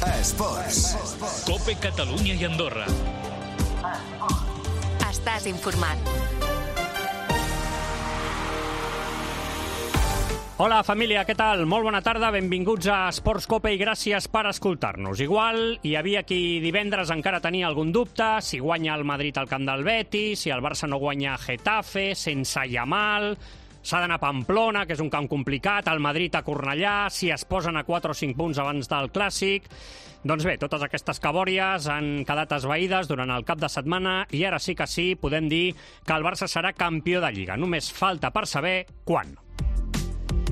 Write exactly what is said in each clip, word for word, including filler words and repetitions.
Esports. COPE Catalunya i Andorra. Estàs informat. Hola, família, què tal? Molt bona tarda, benvinguts a Esports COPE i gràcies per escoltar-nos. Igual hi havia qui divendres encara tenia algun dubte, si guanya el Madrid al camp del Betis, si el Barça no guanya a Getafe, sense Yamal, s'ha d'anar a Pamplona, que és un camp complicat, el Madrid a Cornellà, si es posen a quatre o cinc punts abans del Clàssic. Doncs bé, totes aquestes cabòries han quedat esvaïdes durant el cap de setmana i ara sí que sí, podem dir que el Barça serà campió de Lliga. Només falta per saber quan.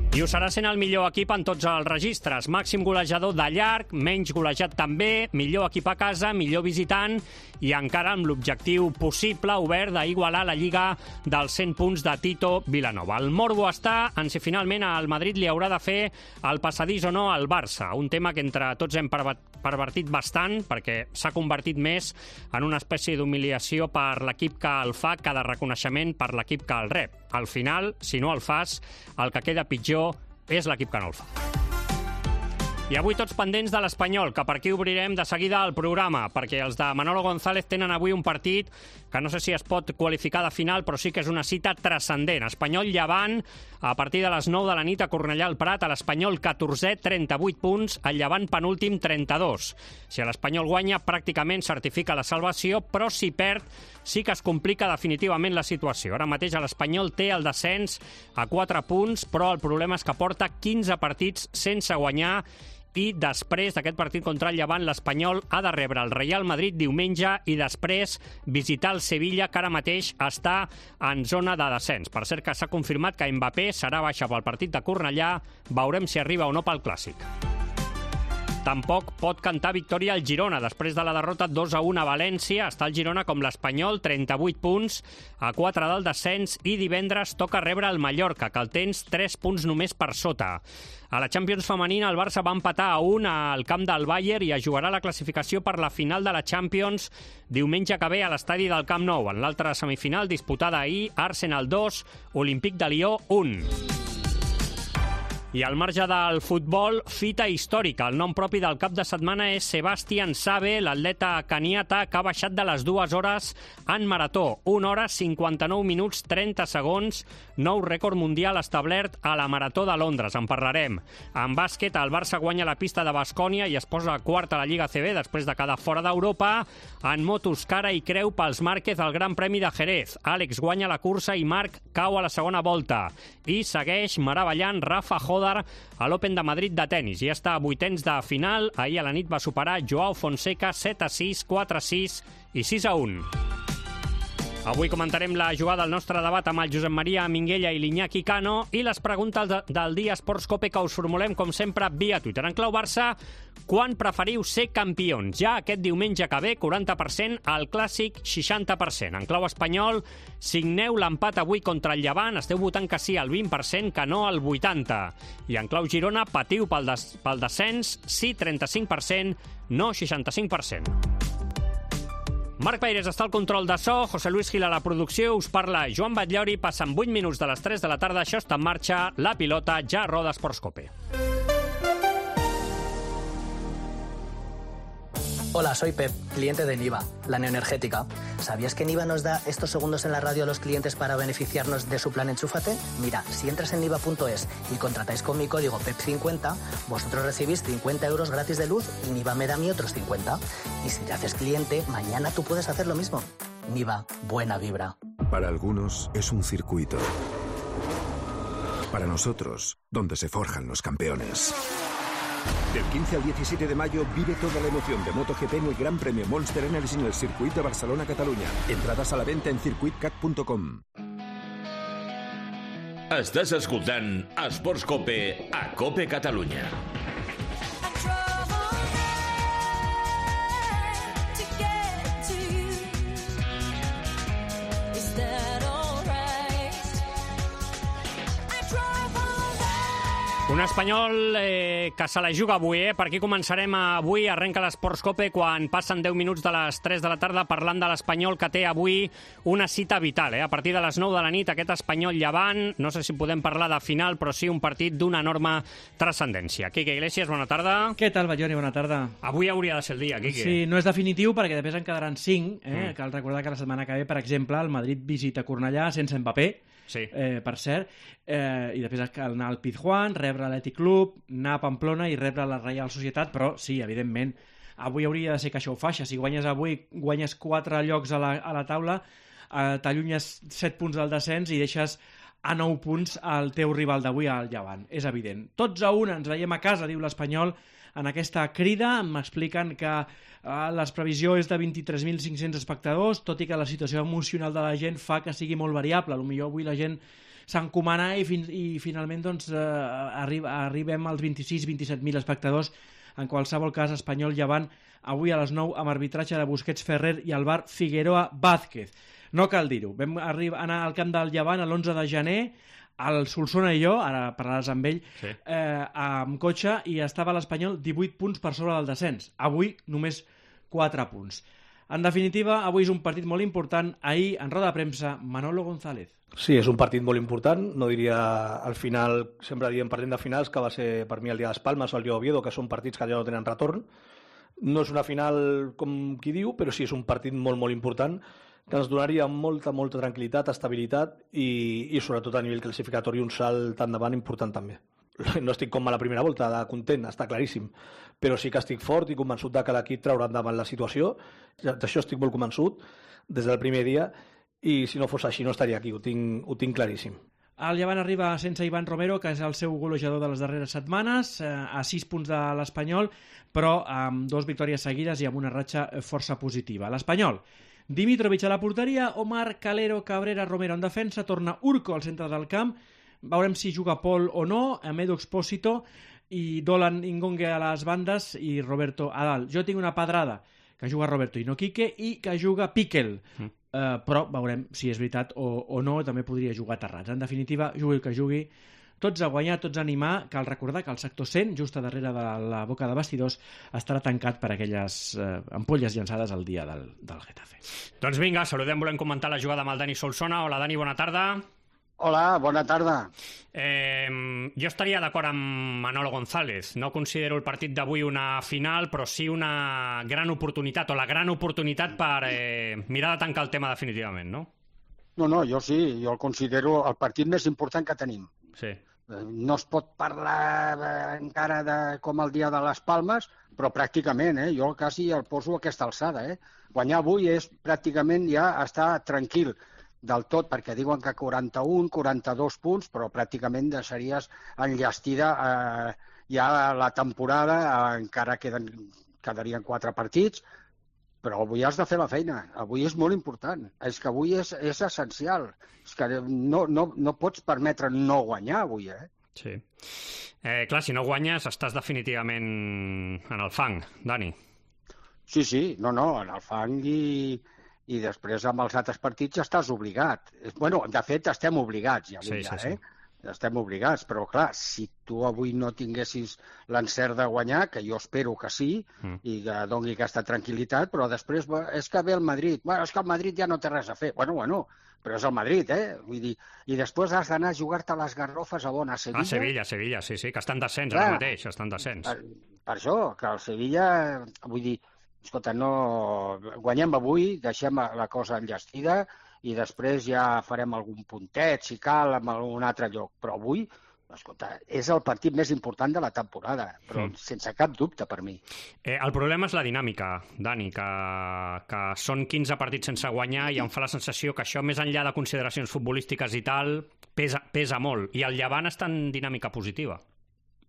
I ho serà sent el millor equip en tots els registres. Màxim golejador de llarg, menys golejat també, millor equip a casa, millor visitant i encara amb l'objectiu possible obert d'igualar la Lliga dels cent punts de Tito Vilanova. El morbo està en si finalment al Madrid li haurà de fer el passadís o no al Barça, un tema que entre tots hem pervertit bastant perquè s'ha convertit més en una espècie d'humiliació per l'equip que el fa que de reconeixement per l'equip que el rep. Al final, si no el fas, el que queda pitjor és l'equip que no el fa. I avui tots pendents de l'Espanyol, que per aquí obrirem de seguida el programa, perquè els de Manolo González tenen avui un partit que no sé si es pot qualificar de final, però sí que és una cita transcendent. Espanyol-Llevant, a partir de les nou de la nit a Cornellà al Prat, a l'Espanyol catorzè, trenta-vuit punts, el Llevant penúltim, trenta-dos. Si l'Espanyol guanya, pràcticament certifica la salvació, però si perd, sí que es complica definitivament la situació. Ara mateix l'Espanyol té el descens a quatre punts, però el problema és que porta quinze partits sense guanyar i després d'aquest partit contra el Llevant, l'Espanyol ha de rebre el Real Madrid diumenge i després visitar el Sevilla, que ara mateix està en zona de descens. Per cert que s'ha confirmat que Mbappé serà baixa pel partit de Cornellà. Veurem si arriba o no pel Clàssic. Tampoc pot cantar victòria al Girona. Després de la derrota dos a un a València, està el Girona com l'Espanyol, trenta-vuit punts, a quatre del descens, i divendres toca rebre el Mallorca, que el tens tres punts només per sota. A la Champions femenina, el Barça va empatar a un al camp del Bayern i es jugarà la classificació per la final de la Champions diumenge que ve a l'estadi del Camp Nou. En l'altra semifinal, disputada ahir, Arsenal dos, Olímpic de Lió un. I al marge del futbol, fita històrica. El nom propi del cap de setmana és Sebastian Sabe, l'atleta keniata que ha baixat de les dues hores en marató. una hora, cinquanta-nou minuts, trenta segons, nou rècord mundial establert a la Marató de Londres. En parlarem. En bàsquet, el Barça guanya la pista de Baskonia i es posa quart a la Lliga A C B després de quedar fora d'Europa. En motos, cara i creu pels Márquez al Gran Premi de Jerez. Àlex guanya la cursa i Marc cau a la segona volta. I segueix meravellant Rafa Hodar a l'Open de Madrid de tennis. Ja està a vuitens de final. Ahir a la nit va superar Joao Fonseca set a sis, quatre a sis i sis a un. Avui comentarem la jugada del nostre debat amb el Josep Maria Minguella i l'Iñaki Cano i les preguntes de, del dia Esports COPE que us formulem, com sempre, via Twitter. En clau Barça, quan preferiu ser campions? Ja aquest diumenge que ve, quaranta per cent, al Clàssic, seixanta per cent. En clau espanyol, signeu l'empat avui contra el Llevant, esteu votant que sí al vint per cent, que no al vuitanta per cent. I en clau Girona, patiu pel, des, pel descens, sí trenta-cinc per cent, no seixanta-cinc per cent. Marc Paires està al control de so, José Luis Gil a la producció, us parla Joan Batllori, passen vuit minuts de les tres de la tarda, això està en marxa, la pilota ja roda Esports COPE. Hola, soy Pep, cliente de Niva, la neoenergética. ¿Sabías que Niva nos da estos segundos en la radio a los clientes para beneficiarnos de su plan Enchúfate? Mira, si entras en niva punto es y contratáis con mi código P E P cincuenta, vosotros recibís cincuenta euros gratis de luz y Niva me da a mí otros cincuenta. Y si te haces cliente, mañana tú puedes hacer lo mismo. Niva, buena vibra. Para algunos es un circuito. Para nosotros, donde se forjan los campeones. Del quince al diecisiete de mayo vive toda la emoción de MotoGP en el Gran Premio Monster Energy en el Circuit de Barcelona-Catalunya. Entradas a la venta en circuit cat punto com. Estàs escoltant Esports COPE a COPE Catalunya. Un Espanyol eh, que se la juga avui, eh? Per aquí començarem avui. Arrenca l'Esports Cope quan passen deu minuts de les tres de la tarda parlant de l'Espanyol, que té avui una cita vital. Eh? A partir de les nou de la nit, aquest Espanyol Llevant, no sé si podem parlar de final, però sí un partit d'una enorme transcendència. Quique Iglesias, bona tarda. Què tal, Balloni? Bona tarda. Avui hauria de ser el dia, Quique. Sí, no és definitiu perquè després en quedaran cinc. Eh? Mm. Cal recordar que la setmana que ve, per exemple, el Madrid visita Cornellà sense Mbappé. Sí. Eh, per cert, eh, i després cal anar al Pizjuán, rebre l'Athletic Club, anar a Pamplona i rebre la Reial Societat, però sí, evidentment, avui hauria de ser que això ho faixa. Si guanyes avui, guanyes quatre llocs a la, a la taula, eh, t'allunyes set punts del descens i deixes a nou punts al teu rival d'avui, al Llevant. És evident. Tots a una, ens veiem a casa, diu l'Espanyol, en aquesta crida. M'expliquen que eh, la previsió és de vint-i-tres mil cinc-cents espectadors, tot i que la situació emocional de la gent fa que sigui molt variable. Potser avui la gent s'encomana i, fin i finalment doncs, eh, arri arribem als vint-i-sis vint-i-set mil espectadors. En qualsevol cas, Espanyol Llevant avui a les nou amb arbitratge de Busquets Ferrer i el bar Figueroa Vázquez. No cal dir-ho. Vam anar al camp del Llevant l'onze de gener, el Solsona i jo, ara parlaràs amb ell, sí. eh, amb cotxe, i estava l'Espanyol divuit punts per sobre del descens. Avui només quatre punts. En definitiva, avui és un partit molt important. Ahir, en roda de premsa, Manolo González. Sí, és un partit molt important. No diria al final, sempre diem parlant de finals, que va ser per mi el dia de les Palmes o el dia d'Oviedo, que són partits que ja no tenen retorn. No és una final com qui diu, però sí és un partit molt, molt important, que ens donaria molta, molta tranquil·litat, estabilitat i, i sobretot a nivell classificatori un salt endavant important també. No estic com a la primera volta de content, està claríssim, però sí que estic fort i convençut de que l'equip traurà endavant la situació. D'això estic molt convençut des del primer dia i si no fos així no estaria aquí, ho tinc, ho tinc claríssim. El Llevant arriba sense Ivan Romero, que és el seu golejador de les darreres setmanes, a sis punts de l'Espanyol, però amb dues victòries seguides i amb una ratxa força positiva. L'Espanyol, Dimitrovic a la porteria, Omar, Calero, Cabrera, Romero en defensa, torna Urco al centre del camp, veurem si juga Pol o no, Edu Expósito i Dolan Ingongue a les bandes i Roberto a dalt. Jo tinc una pedrada, que juga Roberto i no Quique, i que juga Piquel, mm. uh, però veurem si és veritat o, o no, també podria jugar Terrats. En definitiva, jugui el que jugui, tots a guanyar, tots a animar. Cal recordar que el sector cent, just a darrere de la boca de vestidors, estarà tancat per aquelles eh, ampolles llançades el dia del, del Getafe. Doncs vinga, saludem, volem comentar la jugada amb el Dani Solsona. Hola, Dani, bona tarda. Hola, bona tarda. Eh, jo estaria d'acord amb Manolo González. No considero el partit d'avui una final, però sí una gran oportunitat, o la gran oportunitat per eh, mirar de tancar el tema definitivament, no? No, no, jo sí, jo el considero el partit més important que tenim. Sí. No es pot parlar encara de com el dia de les Palmes, però pràcticament, eh? Jo quasi el poso a aquesta alçada. Eh? Guanyar avui és pràcticament ja estar tranquil del tot, perquè diuen que quaranta-un, quaranta-dos punts, però pràcticament deixaries enllestida eh, ja la temporada, eh, encara queden, quedarien quatre partits, però avui has de fer la feina, avui és molt important, és que avui és, és essencial, és que no, no, no pots permetre no guanyar avui, eh? Sí. Eh, clar, si no guanyes estàs definitivament en el fang, Dani. Sí, sí, no, no, en el fang i, i després amb els altres partits estàs obligat. Bueno, de fet, estem obligats, ja, sí, ja sí, sí. eh? Estem obligats, però clar, si tu avui no tinguessis l'encert de guanyar, que jo espero que sí, mm. i que doni aquesta tranquil·litat, però després és que ve el Madrid, bueno, és que el Madrid ja no té res a fer. Bueno, bueno, però és el Madrid, eh? Vull dir, i després has d'anar a jugar-te les garrofes a on? A Sevilla? A Sevilla, Sevilla, sí, sí, que estan descens ara mateix, estan descens. Per, per això, que el Sevilla, vull dir, escolta, no... guanyem avui, deixem la cosa enllestida, i després ja farem algun puntet, si cal, en algun altre lloc. Però avui, escolta, és el partit més important de la temporada, però mm. sense cap dubte per mi. Eh, el problema és la dinàmica, Dani, que, que són quinze partits sense guanyar i em fa la sensació que això, més enllà de consideracions futbolístiques i tal, pesa, pesa molt. I el Llevant està en dinàmica positiva.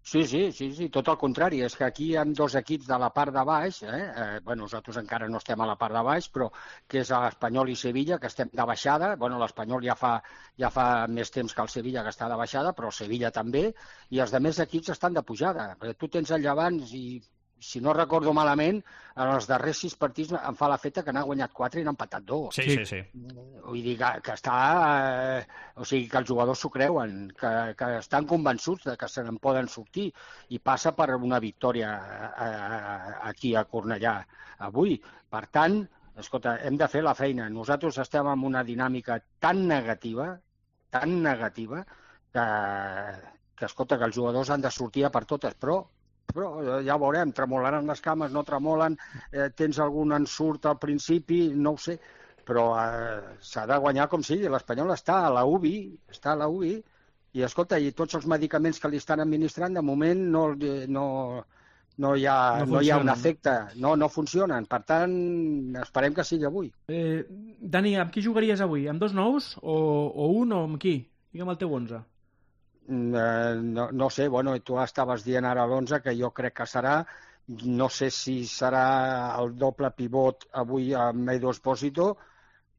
Sí, sí, sí, sí, tot el contrari. És que aquí hi ha dos equips de la part de baix, eh? Eh, bueno, nosaltres encara no estem a la part de baix, però que és l'Espanyol i Sevilla, que estem de baixada. Bueno, l'Espanyol ja fa, ja fa més temps que el Sevilla que està de baixada, però el Sevilla també, i els altres equips estan de pujada. Tu tens el Llevant i si no recordo malament, en els darrers sis partits em fa l'efecte que n'ha guanyat quatre i n'ha empatat dos. Sí, sí, sí. Vull dir que, que està... Eh, o sigui, que els jugadors s'ho creuen, que, que estan convençuts de que se n'en poden sortir i passa per una victòria a, a, aquí a Cornellà avui. Per tant, escolta, hem de fer la feina. Nosaltres estem en una dinàmica tan negativa, tan negativa, que, que escolta, que els jugadors han de sortir a per totes, però però ja veurem, tremolaran les cames, no tremolen, eh, tens algun ensurt al principi, no ho sé, però eh, s'ha de guanyar com sigui. L'Espanyol està a la U B I, està a la U B I, i escolta, i tots els medicaments que li estan administrant, de moment no, no, no, hi, ha, no, no hi ha un efecte, no, no funcionen. Per tant, esperem que sigui avui. Eh, Dani, amb qui jugaries avui? Amb dos nous o, o un o amb qui? Digue'm el teu onze. No, no sé, bueno, tu estaves dient ara l'onze, que jo crec que serà, no sé si serà el doble pivot avui amb Edu Espósito,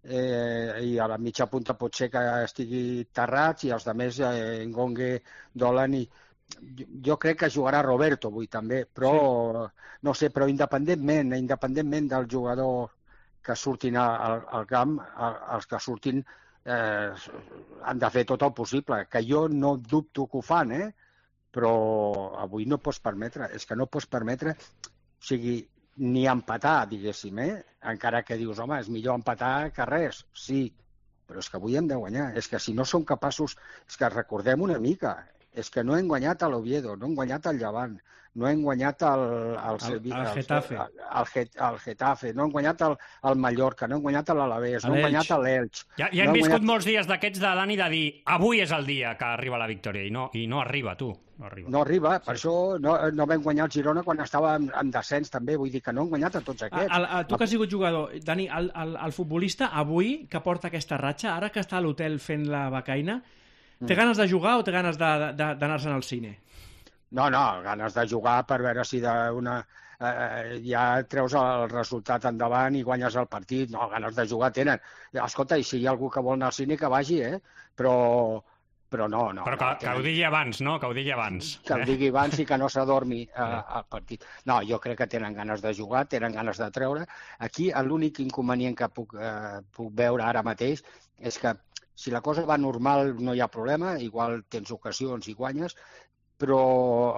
eh, i a la mitja punta pot ser que estigui Tarrats i els altres, eh, Ngongue, Dolan, i jo, jo crec que jugarà Roberto avui també, però sí. No sé, però independentment, independentment del jugador que surtin al, al camp, els que surtin Eh, han de fer tot el possible, que jo no dubto que ho fan, eh? Però avui no pots permetre, és que no pots permetre, o sigui, ni empatar, diguéssim, eh? Encara que dius, home, és millor empatar que res, sí, però és que avui hem de guanyar, és que si no som capaços, és que recordem una mica, és que no hem guanyat a l'Oviedo, no hem guanyat al Llevant, no hem guanyat el, el, el, el Getafe, el, el, el Getafe, no hem guanyat el, el Mallorca, no hem guanyat l'Alavés, no hem guanyat l'Elx. Ja, ja hem no viscut guanyat... molts dies d'aquests de Dani de dir avui és el dia que arriba la victòria i no, i no arriba, tu. No arriba, no arriba sí. Per això no, no vam guanyar el Girona quan estava en, en descens també, vull dir que no hem guanyat a tots aquests. A, a, tu que has sigut jugador, Dani, el, el, el futbolista avui que porta aquesta ratxa, ara que està a l'hotel fent la becaina, té ganes de jugar o té ganes d'anar-se'n al cine? No, no, ganes de jugar per veure si d'una eh, ja treus el resultat endavant i guanyes el partit. No, ganes de jugar tenen. Escolta, i si hi ha algú que vol anar al cine, que vagi, eh? Però, però no, no. Però que, no, que ho digui abans, no? Que ho digui abans. Que ho digui abans i que no s'adormi eh, al partit. No, jo crec que tenen ganes de jugar, tenen ganes de treure. Aquí l'únic inconvenient que puc, eh, puc veure ara mateix és que si la cosa va normal no hi ha problema, igual tens ocasions i guanyes, però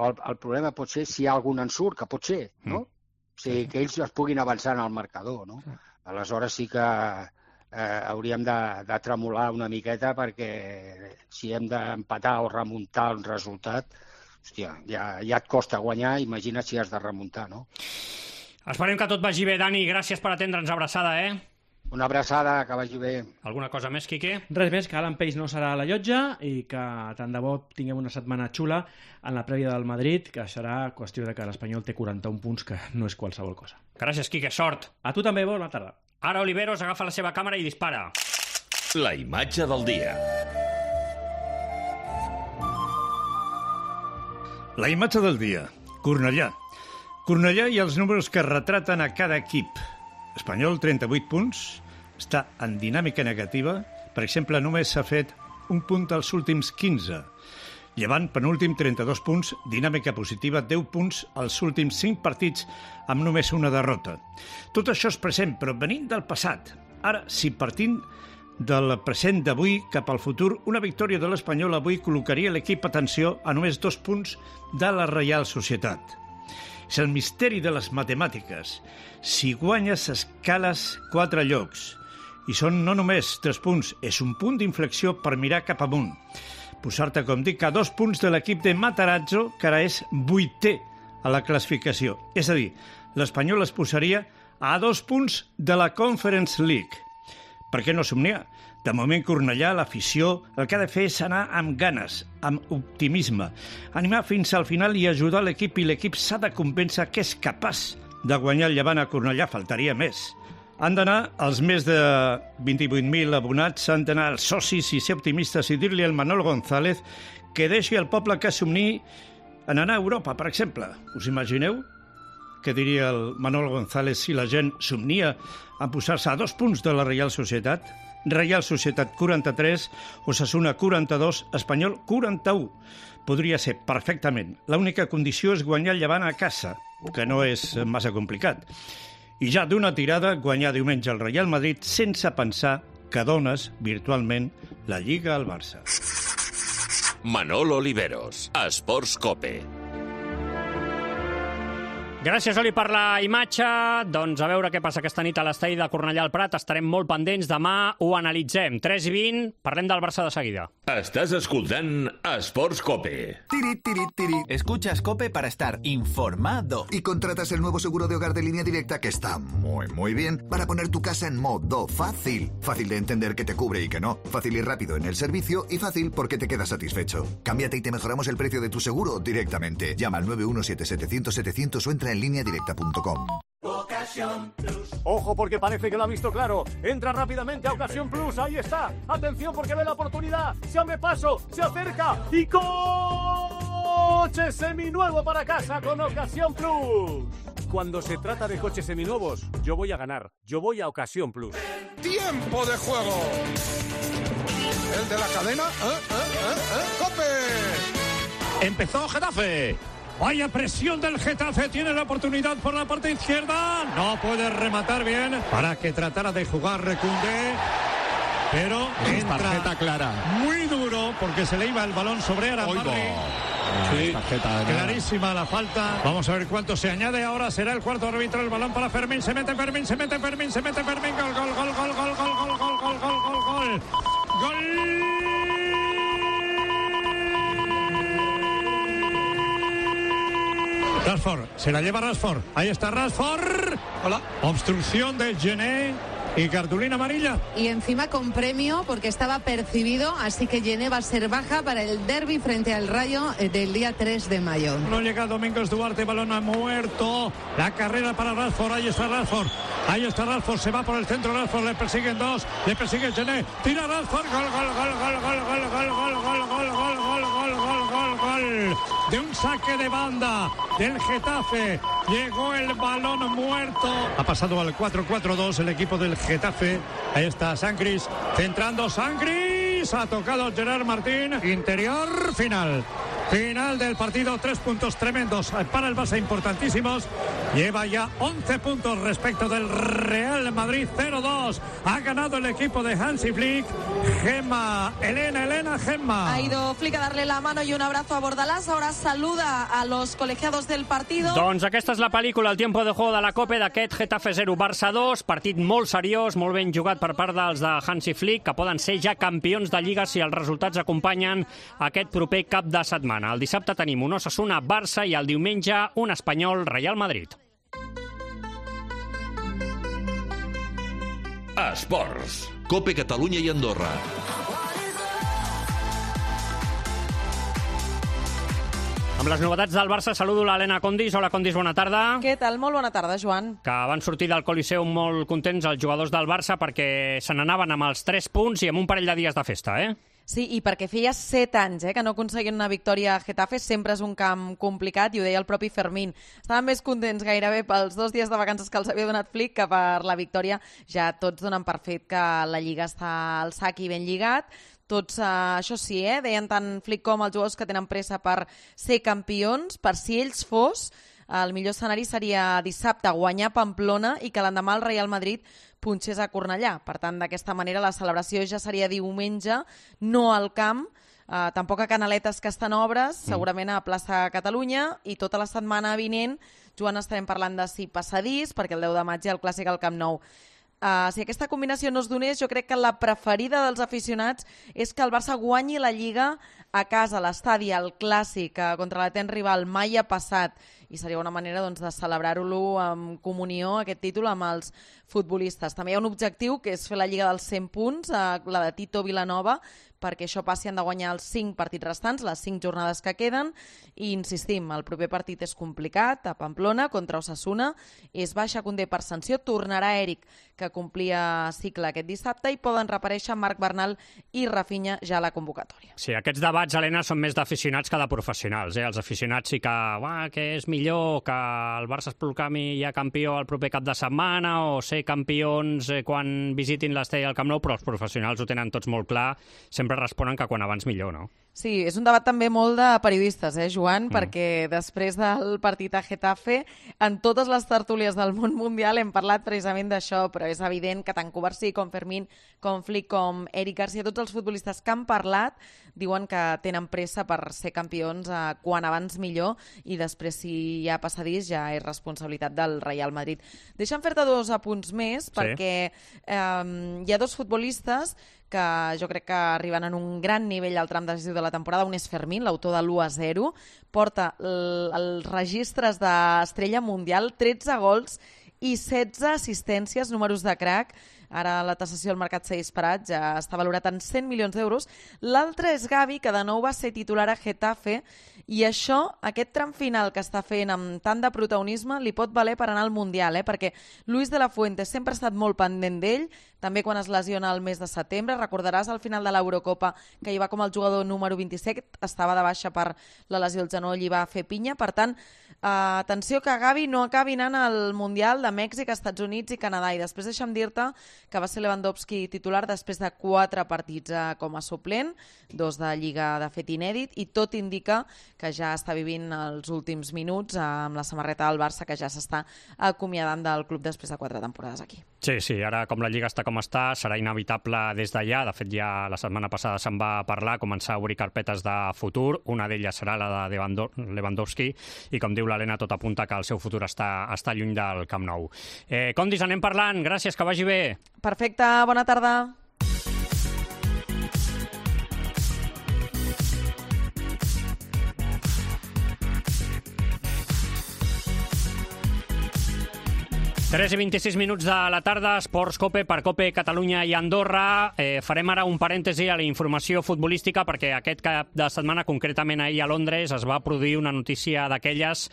el, el problema pot ser si hi ha algun ensurt, que pot ser, no? Mm. O sigui, que ells es puguin avançar en el marcador, no? Aleshores sí que eh, hauríem de, de tremolar una miqueta, perquè si hem d'empatar o remuntar un resultat, hòstia, ja, ja et costa guanyar, imagina't si has de remuntar, no? Esperem que tot vagi bé, Dani. Gràcies per atendre'ns. Abraçada, eh? Una abraçada, que vagi bé. Alguna cosa més, Quique? Res més, que Alan Peix no serà a la llotja i que tant de bo tinguem una setmana xula en la prèvia del Madrid, que serà qüestió de que l'Espanyol té quaranta-un punts, que no és qualsevol cosa. Gràcies, Quique. Sort. A tu també, bona tarda. Ara Oliveros agafa la seva càmera i dispara. La imatge del dia. La imatge del dia. Cornellà. Cornellà i els números que retraten a cada equip. Espanyol, trenta-vuit punts, està en dinàmica negativa. Per exemple, només s'ha fet un punt als últims quinze. Llevant, penúltim, trenta-dos punts, dinàmica positiva, deu punts als últims cinc partits amb només una derrota. Tot això és present, però venint del passat. Ara, si partint del present d'avui cap al futur, una victòria de l'Espanyol avui col·locaria l'equip, atenció, a només dos punts de la Reial Societat. És el misteri de les matemàtiques. Si guanyes, escales quatre llocs. I són no només tres punts, és un punt d'inflexió per mirar cap amunt. Posar-te, com dic, a dos punts de l'equip de Matarazzo, que ara és vuitè a la classificació. És a dir, l'Espanyol es posaria a dos punts de la Conference League. Per què no somniar? De moment, Cornellà, l'afició, el que ha de fer és anar amb ganes, amb optimisme, animar fins al final i ajudar l'equip, i l'equip s'ha de convèncer que és capaç de guanyar el Llevant a Cornellà, faltaria més. Han d'anar els més de vint-i-vuit mil abonats, han d'anar els socis i ser optimistes i dir-li al Manol González que deixi el poble que somni en anar a Europa, per exemple. Us imagineu? Què diria el Manol González si la gent somnia en posar-se a dos punts de la Reial Societat? Reial Societat quaranta-tres, Osasuna quaranta-dos, Espanyol quaranta-u. Podria ser perfectament. L'única condició és guanyar el Llevant a casa. que no és massa complicat. I ja d'una tirada guanyar diumenge el Real Madrid sense pensar que dones virtualment la Lliga al Barça. Manolo Oliveros, Esports Cope. Gràcies, Oli, per la imatge. Doncs a veure què passa aquesta nit a l'estadi de Cornellà al Prat. Estarem molt pendents. Demà ho analitzem. tres i vint, parlem del Barça de seguida. Estàs escoltant Esports Cope. Tiri, tiri, tiri. Escuchas Cope para estar informado. Y contratas el nuevo seguro de hogar de Línea Directa que está muy, muy bien para poner tu casa en modo fácil. Fácil de entender que te cubre y que no. Fácil y rápido en el servicio y fácil porque te quedas satisfecho. Cámbiate y te mejoramos el precio de tu seguro directamente. Llama al nueve uno siete setecientos setecientos o entra en línea directa punto com. Ojo porque parece que lo ha visto claro. Entra rápidamente a Ocasión Plus. Ahí está. Atención porque ve la oportunidad. Se abre paso. Se acerca. Y coche seminuevo para casa con Ocasión Plus. Cuando se trata de coches seminuevos, yo voy a ganar. Yo voy a Ocasión Plus. ¡Tiempo de juego! El de la cadena. ¿Eh? ¿Eh? ¿Eh? ¿Eh? ¡Cope! Empezó Getafe. Vaya presión del Getafe, tiene la oportunidad por la parte izquierda, no puede rematar bien para que tratara de jugar Recundé, pero entra tarjeta clara, muy duro porque se le iba el balón sobre Arambarri. Sí, tarjeta clarísima la falta. Vamos a ver cuánto se añade. Ahora será el cuarto árbitro. El balón para Fermín. Se mete Fermín, se mete Fermín, se mete Fermín. Gol, gol, gol, gol, gol, gol, gol, gol, gol, gol, gol, gol. Gol. Rashford, se la lleva Rashford. Ahí está Rashford. Hola. Obstrucción de Gené y cartulina amarilla. Y encima con premio porque estaba percibido, así que Gené va a ser baja para el derbi frente al Rayo del día tres de mayo. No llega Domingos Duarte, balón ha muerto. La carrera para Rashford, ahí está Rashford. Ahí está Rashford, se va por el centro Rashford, le persiguen dos, le persigue Gené. Tira Rashford, gol, gol, gol, gol, gol, gol, gol, gol, gol, gol, gol, gol, gol, gol, gol, gol. De un saque de banda del Getafe. Llegó el balón muerto. Ha pasado al cuatro cuatro dos el equipo del Getafe. Ahí está Sangris, centrando Sangris. Ha tocado Gerard Martín. Interior, final. Final del partido, tres puntos tremendos para el Barça, importantísimos. Lleva ya once puntos respecto del Real Madrid, cero dos. Ha ganado el equipo de Hansi Flick. Gemma, Elena, Elena, Gemma. Ha ido Flick a darle la mano y un abrazo a Bordalás. Ahora saluda a los colegiados del partido. Doncs aquesta és la pel·lícula, el tiempo de juego de la Copa d'aquest Getafe zero, Barça dos. Partit molt seriós, molt ben jugat per part dels de Hansi Flick, que poden ser ja campions de Lliga si els resultats acompanyen aquest proper cap de setmana. El dissabte tenim un Osasuna-Barça i el diumenge un Espanyol-Real Madrid. Esports. Cope Catalunya i Andorra. Amb les novetats del Barça saludo l'Helena Condis. Hola, Condis, bona tarda. Què tal? Molt bona tarda, Joan. Que van sortir del Coliseu molt contents els jugadors del Barça perquè se n'anaven amb els tres punts i amb un parell de dies de festa, eh? Sí, i perquè feia set anys eh, que no aconseguien una victòria a Getafe, sempre és un camp complicat, i ho deia el propi Fermín. Estaven més contents gairebé pels dos dies de vacances que els havia donat Flick que per la victòria. Ja tots donen per fet que la Lliga està al sac i ben lligat. Tots, eh, això sí, eh, deien tant Flick com els jugadors que tenen pressa per ser campions, per si ells fos, el millor escenari seria dissabte guanyar Pamplona i que l'endemà el Real Madrid punxés a Cornellà. Per tant, d'aquesta manera la celebració ja seria diumenge, no al camp, eh, tampoc a Canaletes, que estan obres, segurament a plaça Catalunya, i tota la setmana vinent, Joan, estarem parlant de si passadís, perquè el deu de maig hi ha el clàssic al Camp Nou. Uh, si aquesta combinació no es donés, jo crec que la preferida dels aficionats és que el Barça guanyi la Lliga a casa, a l'estadi, al clàssic, uh, contra l'etent rival, mai ha passat, i seria una manera doncs, de celebrar-lo amb comunió, aquest títol, amb els futbolistes. També hi ha un objectiu, que és fer la Lliga dels cent punts, uh, la de Tito Vilanova, perquè això passi, han de guanyar els cinc partits restants, les cinc jornades que queden, i insistim, el proper partit és complicat, a Pamplona, contra Osasuna, és baixa Condé per sanció, tornarà Eric, que complia cicle aquest dissabte, i poden reaparèixer Marc Bernal i Rafinha ja a la convocatòria. Sí, aquests debats, Helena, són més d'aficionats que de professionals. Eh? Els aficionats sí que, uah, que és millor que el Barça es proclami ja campió el proper cap de setmana o ser campions eh, quan visitin l'Estadi al Camp Nou, però els professionals ho tenen tots molt clar, sempre sempre responen que quan abans millor, no? Sí, és un debat també molt de periodistes, eh, Joan? Mm. Perquè després del partit a Getafe, en totes les tertúlies del món mundial hem parlat precisament d'això, però és evident que tant Covarsí com Fermín, com Flick, com Eric Garcia, tots els futbolistes que han parlat diuen que tenen pressa per ser campions eh, quan abans millor, i després, si hi ha passadís, ja és responsabilitat del Real Madrid. Deixa'm fer-te dos apunts més, sí. perquè eh, hi ha dos futbolistes que jo crec que arriben en un gran nivell al tram decisiu de la temporada. Un és Fermín, l'autor de l'u a zero, porta els registres d'estrella mundial, tretze gols i setze assistències, números de crack. Ara la tasació al mercat s'ha disparat, ja està valorat en cent milions d'euros. L'altre és Gavi, que de nou va ser titular a Getafe, i això, aquest tram final que està fent amb tant de protagonisme, li pot valer per anar al Mundial, eh? Perquè Luis de la Fuente sempre ha estat molt pendent d'ell, també quan es lesiona el mes de setembre. Recordaràs al final de l'Eurocopa que hi va com el jugador número vint-i-set, estava de baixa per la lesió al genoll i va fer pinya. Per tant, eh, atenció que Gavi no acabi anant al Mundial de Mèxic, Estats Units i Canadà. I després deixa'm dir-te que va ser Lewandowski titular després de quatre partits eh, com a suplent, dos de Lliga de fet inèdit, i tot indica que ja està vivint els últims minuts eh, amb la samarreta del Barça, que ja s'està acomiadant del club després de quatre temporades aquí. Sí, sí, ara com la Lliga està com està, serà inevitable des d'allà. De fet, ja la setmana passada se'n va parlar, començar a obrir carpetes de futur. Una d'elles serà la de Lewandowski, i com diu l'Helena, tot apunta que el seu futur està, està lluny del Camp Nou. Eh, Condis, anem parlant. Gràcies, que vagi bé. Perfecte, bona tarda. tres i vint-i-sis minuts de la tarda, Esports Cope per Cope Catalunya i Andorra. Eh, farem ara un parèntesi a la informació futbolística, perquè aquest cap de setmana, concretament ahir a Londres, es va produir una notícia d'aquelles,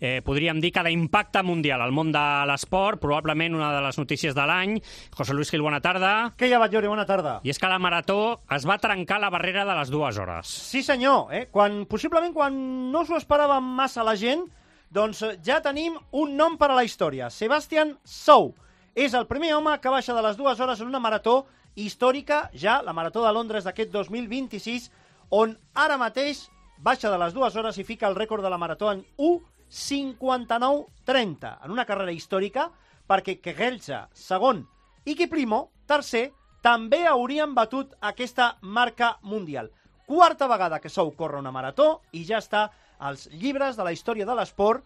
eh, podríem dir que d'impacte mundial al món de l'esport, probablement una de les notícies de l'any. José Luis Gil, bona tarda. Què hi ha, Batllori? Bona tarda. I és que la marató es va trencar la barrera de les dues hores. Sí, senyor. Eh? Quan, possiblement quan no s'ho esperava massa la gent, doncs ja tenim un nom per a la història. Sebastian Sou és el primer home que baixa de les dues hores en una marató històrica, ja la marató de Londres d'aquest dos mil vint-i-sis, on ara mateix baixa de les dues hores i fica el rècord de la marató en u cinquanta-nou trenta, en una carrera històrica, perquè Kegelcha, segon, i Kiplimo, tercer, també haurien batut aquesta marca mundial. Quarta vegada que Sou corre una marató i ja està als llibres de la història de l'esport,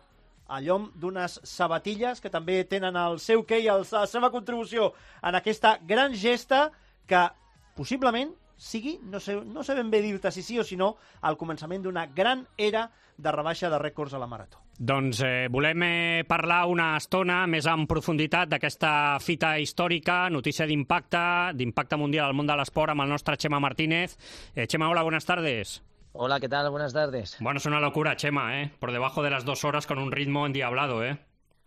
a llom d'unes sabatilles que també tenen el seu què i el, la seva contribució en aquesta gran gesta que possiblement sigui, no sé, no sé ben bé dir-te si sí o si no, al començament d'una gran era de rebaixa de rècords a la marató. Doncs eh, volem eh, parlar una estona més en profunditat d'aquesta fita històrica, notícia d'impacte, d'impacte mundial al món de l'esport, amb el nostre Chema Martínez. Eh, Chema, hola, buenas tardes. Hola, ¿qué tal? Buenas tardes. Bueno, es una locura, Chema, ¿eh? Por debajo de las dos horas con un ritmo endiablado, ¿eh?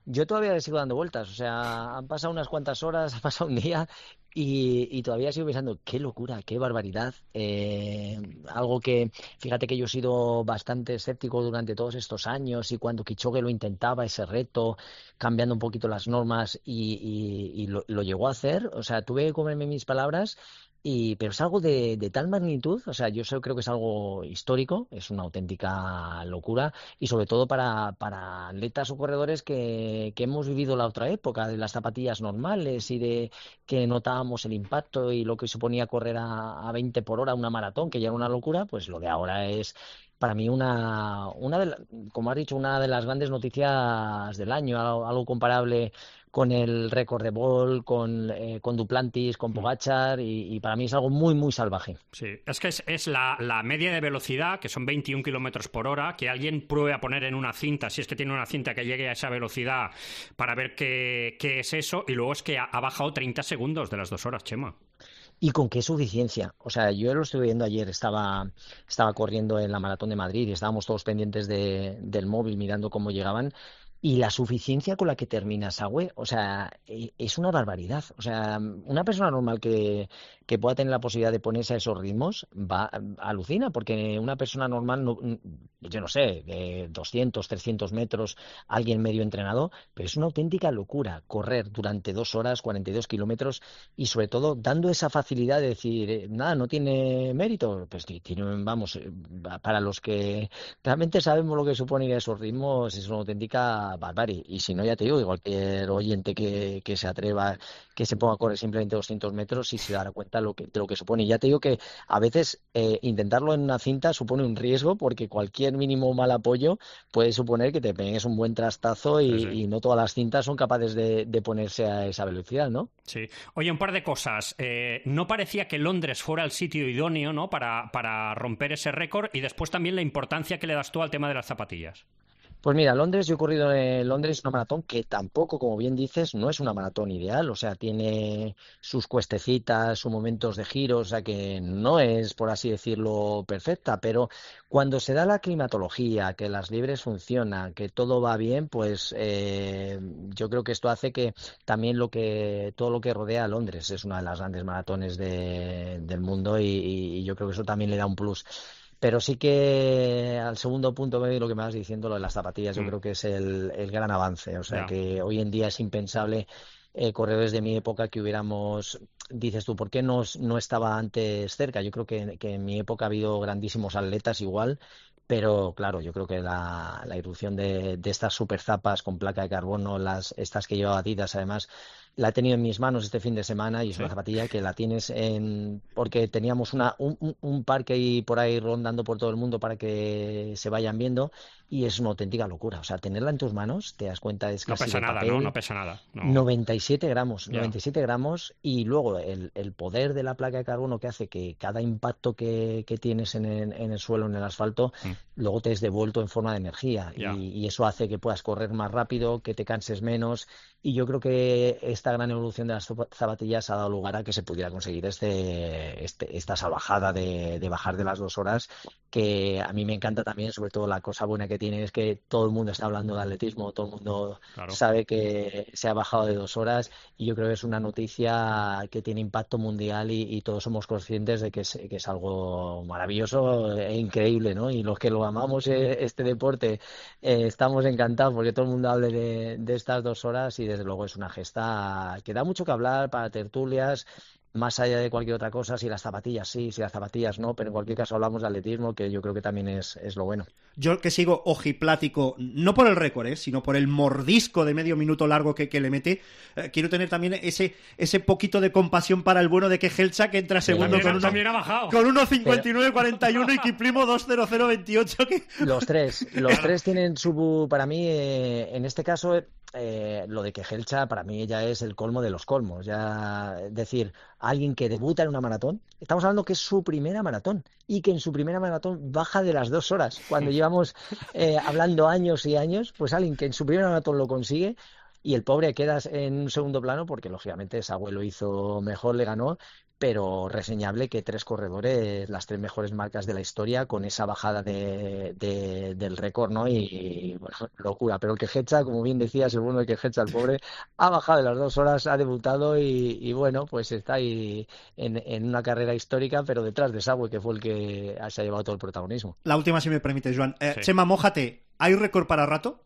Yo todavía le sigo dando vueltas, o sea, han pasado unas cuantas horas, ha pasado un día y, y todavía sigo pensando, qué locura, qué barbaridad. Eh, algo que, fíjate que yo he sido bastante escéptico durante todos estos años y cuando Kipchoge lo intentaba, ese reto, cambiando un poquito las normas y, y, y lo, lo llegó a hacer, o sea, tuve que comerme mis palabras. Y, pero es algo de, de tal magnitud, o sea, yo creo que es algo histórico, es una auténtica locura y sobre todo para, para atletas o corredores que, que hemos vivido la otra época de las zapatillas normales y de que notábamos el impacto y lo que suponía correr a, a veinte por hora una maratón, que ya era una locura, pues lo de ahora es para mí una, una de la, como has dicho, una de las grandes noticias del año, algo, algo comparable con el récord de Bolt, con, eh, con Duplantis, con Pogačar, y, y para mí es algo muy, muy salvaje. Sí, es que es, es la, la media de velocidad, que son veintiún kilómetros por hora, que alguien pruebe a poner en una cinta, si es que tiene una cinta que llegue a esa velocidad, para ver qué, qué es eso, y luego es que ha, ha bajado treinta segundos de las dos horas, Chema. ¿Y con qué suficiencia? O sea, yo lo estuve viendo ayer, estaba, estaba corriendo en la Maratón de Madrid y estábamos todos pendientes de, del móvil mirando cómo llegaban. Y la suficiencia con la que termina Sawe, o sea, es una barbaridad. O sea, una persona normal que, que pueda tener la posibilidad de ponerse a esos ritmos, va, alucina, porque una persona normal, no, yo no sé, de doscientos, trescientos metros, alguien medio entrenado, pero es una auténtica locura correr durante dos horas, cuarenta y dos kilómetros, y sobre todo dando esa facilidad de decir, eh, nada, no tiene mérito. Pues tiene, vamos, para los que realmente sabemos lo que supone ir a esos ritmos, es una auténtica barbarie. Y si no, ya te digo, cualquier oyente que, que se atreva, que se ponga a correr simplemente doscientos metros y se dará cuenta lo que, de lo que supone. Y ya te digo que a veces eh, intentarlo en una cinta supone un riesgo, porque cualquier mínimo mal apoyo puede suponer que te pegues un buen trastazo y, sí, sí. y no todas las cintas son capaces de, de ponerse a esa velocidad, ¿no? Sí. Oye, un par de cosas. Eh, no parecía que Londres fuera el sitio idóneo, ¿no?, para, para romper ese récord, y después también la importancia que le das tú al tema de las zapatillas. Pues mira, Londres, yo he corrido en Londres una maratón que tampoco, como bien dices, no es una maratón ideal, o sea, tiene sus cuestecitas, sus momentos de giro, o sea, que no es, por así decirlo, perfecta, pero cuando se da la climatología, que las libres funcionan, que todo va bien, pues eh, yo creo que esto hace que también lo que todo lo que rodea a Londres es una de las grandes maratones de, del mundo, y, y yo creo que eso también le da un plus. Pero sí que al segundo punto, lo que me vas diciendo, lo de las zapatillas, yo mm. creo que es el, el gran avance. O sea, yeah. que hoy en día es impensable eh, corredores de mi época que hubiéramos... Dices tú, ¿por qué no, no estaba antes cerca? Yo creo que, que en mi época ha habido grandísimos atletas igual, pero claro, yo creo que la, la irrupción de, de estas super zapas con placa de carbono, las estas que llevaba Adidas, además, la he tenido en mis manos este fin de semana, y es sí. una zapatilla que la tienes en... porque teníamos una, un, un par que hay por ahí rondando por todo el mundo para que se vayan viendo, y es una auténtica locura. O sea, tenerla en tus manos, te das cuenta, es casi no pesa de nada, papel. ¿no? No pesa nada. No. noventa y siete gramos, yeah. noventa y siete gramos, y luego el, el poder de la placa de carbono que hace que cada impacto que, que tienes en el, en el suelo, en el asfalto, mm. luego te es devuelto en forma de energía, yeah. y, y eso hace que puedas correr más rápido, que te canses menos, y yo creo que esta gran evolución de las zapatillas ha dado lugar a que se pudiera conseguir este, este esta salvajada de, de bajar de las dos horas, que a mí me encanta también. Sobre todo la cosa buena que tiene es que todo el mundo está hablando de atletismo, todo el mundo claro. sabe que se ha bajado de dos horas, y yo creo que es una noticia que tiene impacto mundial, y, y todos somos conscientes de que es, que es algo maravilloso e increíble, ¿no? Y los que lo amamos este deporte eh, estamos encantados porque todo el mundo hable de, de estas dos horas, y desde luego es una gesta que da mucho que hablar para tertulias, más allá de cualquier otra cosa. Si las zapatillas sí, si las zapatillas no, pero en cualquier caso hablamos de atletismo, que yo creo que también es, es lo bueno. Yo que sigo ojiplático, no por el récord, ¿eh? sino por el mordisco de medio minuto largo que, que le mete, eh, quiero tener también ese ese poquito de compasión para el bueno de Kejelcha, que entra segundo también, con, una, ha bajado. con uno cincuenta y nueve cuarenta y uno y Kiplimo dos cero cero veintiocho. Que... Los tres, los tres tienen su... Para mí, eh, en este caso... Eh, lo de Kejelcha para mí ya es el colmo de los colmos. Ya decir, alguien que debuta en una maratón, estamos hablando que es su primera maratón, y que en su primera maratón baja de las dos horas, cuando llevamos eh, hablando años y años, pues alguien que en su primera maratón lo consigue, y el pobre queda en un segundo plano, porque lógicamente ese abuelo hizo mejor, le ganó, pero reseñable que tres corredores, las tres mejores marcas de la historia, con esa bajada de, de, del récord, ¿no? Y, y bueno, locura. Pero el Kejelcha, como bien decías, el bueno de Kejelcha, el pobre, ha bajado de las dos horas, ha debutado, y, y bueno, pues está ahí en, en una carrera histórica, pero detrás de Sawe, que fue el que se ha llevado todo el protagonismo. La última, si me permite, Joan. Eh, sí. Chema, mójate, ¿hay récord para rato?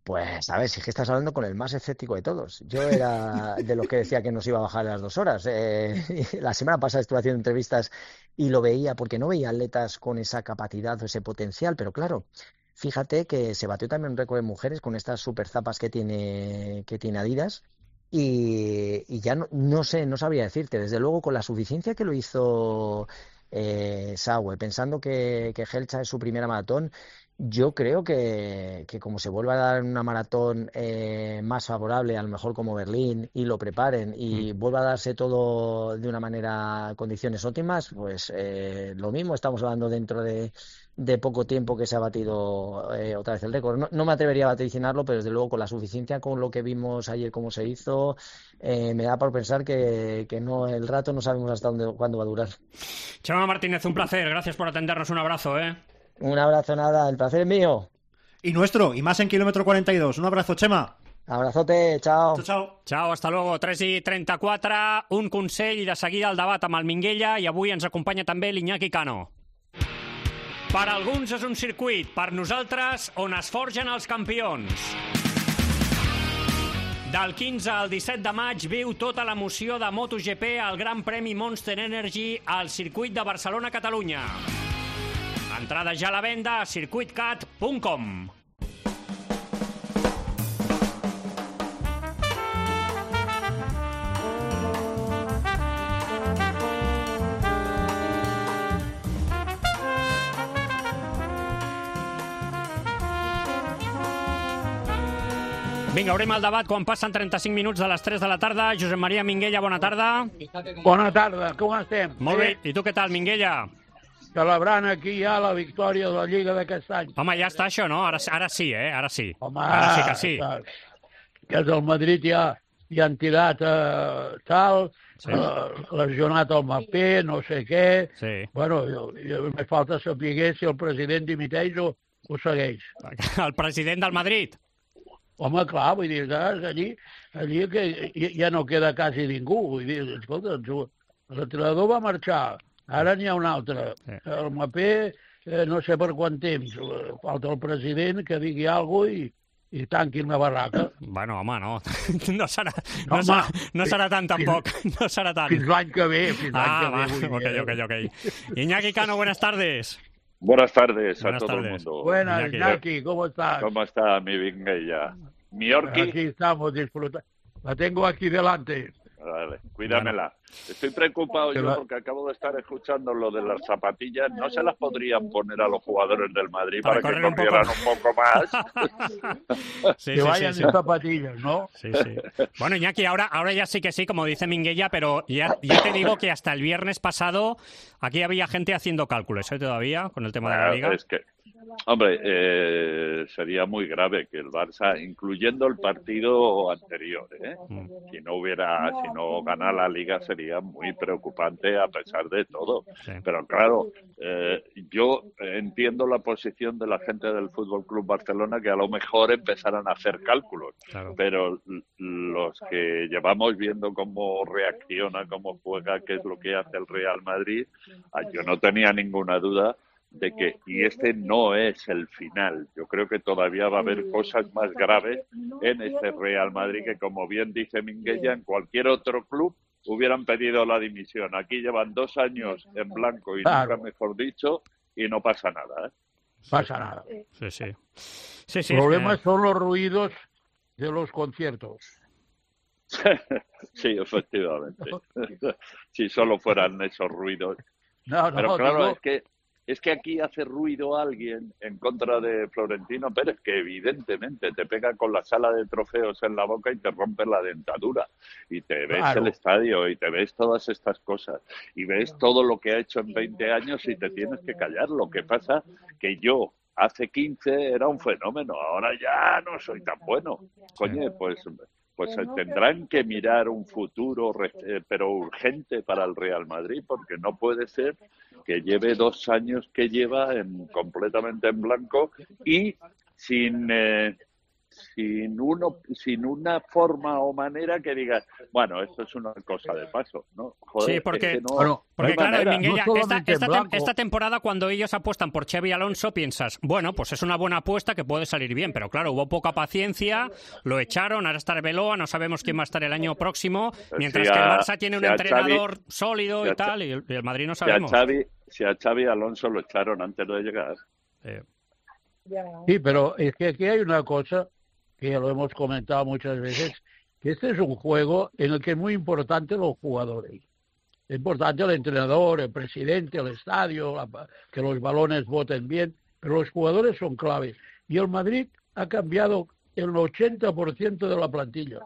Pues, a ver, si es que estás hablando con el más escéptico de todos. Yo era de los que decía que nos iba a bajar las dos horas. Eh, la semana pasada estuve haciendo entrevistas y lo veía, porque no veía atletas con esa capacidad o ese potencial, pero claro, fíjate que se batió también un récord de mujeres con estas super zapas que tiene, que tiene Adidas, y, y ya no, no sé, no sabría decirte. Desde luego, con la suficiencia que lo hizo eh, Sawe, pensando que, que Kejelcha es su primera maratón, yo creo que, que como se vuelva a dar una maratón eh, más favorable, a lo mejor como Berlín, y lo preparen, y mm. vuelva a darse todo de una manera, condiciones óptimas, pues eh, lo mismo, estamos hablando dentro de, de poco tiempo que se ha batido eh, otra vez el récord. No, no me atrevería a vaticinarlo, pero desde luego con la suficiencia, con lo que vimos ayer cómo se hizo, eh, me da por pensar que, que no, el rato no sabemos hasta dónde, cuándo va a durar. Chema Martínez, un placer, gracias por atendernos, un abrazo, ¿eh? Un abrazo, nada, el placer es mío. Y nuestro, y más en kilómetro cuarenta y dos. Un abrazo, Chema. Abrazote, chao. Chao, chao. Ciao, hasta luego. tres i trenta-quatre, un consell i de seguida el debat amb el Minguella i avui ens acompanya també l'Iñaki Cano. Per alguns és un circuit, per nosaltres on es forgen els campions. Del quinze al disset de maig viu tota l'emoció de MotoGP al Gran Premi Monster Energy al circuit de Barcelona-Catalunya. Entrada ja a la venda a circuit cat punt com. Vinga, obrim el debat quan passen trenta-cinc minuts de les tres de la tarda. Josep Maria Minguella, bona tarda. Bona tarda, com estem? Molt bé, i tu què tal, Minguella? Celebrant aquí ja la victòria de la Lliga d'aquest any. Home, ja està això, no? Ara, ara sí, eh? Ara sí. Home, ara sí que sí. Que és el Madrid ja, ja han tirat eh, tal, sí. eh, lesionat el Mbappé, no sé què. Sí. Bueno, jo, jo, me falta saber si el president dimiteix o, o segueix. El president del Madrid? Home, clar, vull dir, saps? Allí, allí que ja no queda quasi ningú. Vull dir, escolta, l'entrenador va marxar, ara n'hi ha un altre. Sí. El Mbappé, eh, no sé per quant temps, falta el president que digui alguna cosa i, i tanquin la barraca. Bueno, home, no. No serà, no, no home, serà, no serà tant, tampoc. No serà tant. Fins l'any que ve, fins l'any ah, que ve. Va, ok, ok, ok. Iñaki Cano, buenas tardes. Buenas tardes Buenas a todo tardes. el mundo. Buenas, Iñaki, Iñaki, ¿cómo estás? ¿Cómo está mi Minguella? ¿Mi Orki? Aquí estamos disfrutando. La tengo aquí delante. Vale, cuídamela. Estoy preocupado yo porque acabo de estar escuchando lo de las zapatillas. ¿No se las podrían poner a los jugadores del Madrid para, para que corrieran un poco, un poco más? Sí, que sí, vayan sí, en sí. zapatillas, ¿no? Sí, sí. Bueno, Iñaki, ahora, ahora ya sí que sí, como dice Minguella, pero ya, ya te digo que hasta el viernes pasado aquí había gente haciendo cálculos, ¿eh? Todavía, con el tema bueno, de la Liga. Es que, hombre, eh, sería muy grave que el Barça, incluyendo el partido anterior, ¿eh? Mm. si no hubiera, si no gana la Liga sería muy preocupante a pesar de todo. Sí. Pero claro, eh, yo entiendo la posición de la gente del Fútbol Club Barcelona que a lo mejor empezaran a hacer cálculos, claro. Pero los que llevamos viendo cómo reacciona, cómo juega, qué es lo que hace el Real Madrid, yo no tenía ninguna duda de que, y este no es el final, yo creo que todavía va a haber cosas más graves en este Real Madrid que, como bien dice Minguella, en cualquier otro club hubieran pedido la dimisión. Aquí llevan dos años en blanco y claro. nunca mejor dicho, y no pasa nada, ¿eh? Pasa nada. Sí, sí. sí, sí el problema es que... son los ruidos de los conciertos. Sí, efectivamente. Si solo fueran esos ruidos. No, no, Pero claro, digo... es que es que aquí hace ruido alguien en contra de Florentino Pérez, que evidentemente te pega con la sala de trofeos en la boca y te rompe la dentadura. Y te ves claro. el estadio y te ves todas estas cosas. Y ves todo lo que ha hecho en veinte años y te tienes que callar. Lo que pasa que yo hace quince era un fenómeno, ahora ya no soy tan bueno. Coño, pues... pues tendrán que mirar un futuro, pero urgente para el Real Madrid, porque no puede ser que lleve dos años que lleva en, completamente en blanco y sin eh, sin uno sin una forma o manera que digas, bueno, esto es una cosa de paso, ¿no? Joder, sí, porque, es que no, bueno, porque no claro, manera. Minguella, No esta, esta, blanco. esta temporada cuando ellos apuestan por Xavi Alonso piensas, bueno, pues es una buena apuesta que puede salir bien, pero claro, hubo poca paciencia, lo echaron, ahora está Arbeloa, no sabemos quién va a estar el año próximo, mientras si que el a, Barça tiene un si entrenador Xavi, sólido si y tal, y el, y el Madrid no si sabemos. A Xavi, si a Xavi Alonso lo echaron antes de llegar. Eh. Sí, pero es que aquí hay una cosa que ya lo hemos comentado muchas veces, que este es un juego en el que es muy importante los jugadores. Es importante el entrenador, el presidente, el estadio, la, que los balones voten bien, pero los jugadores son claves. Y el Madrid ha cambiado el ochenta por ciento de la plantilla.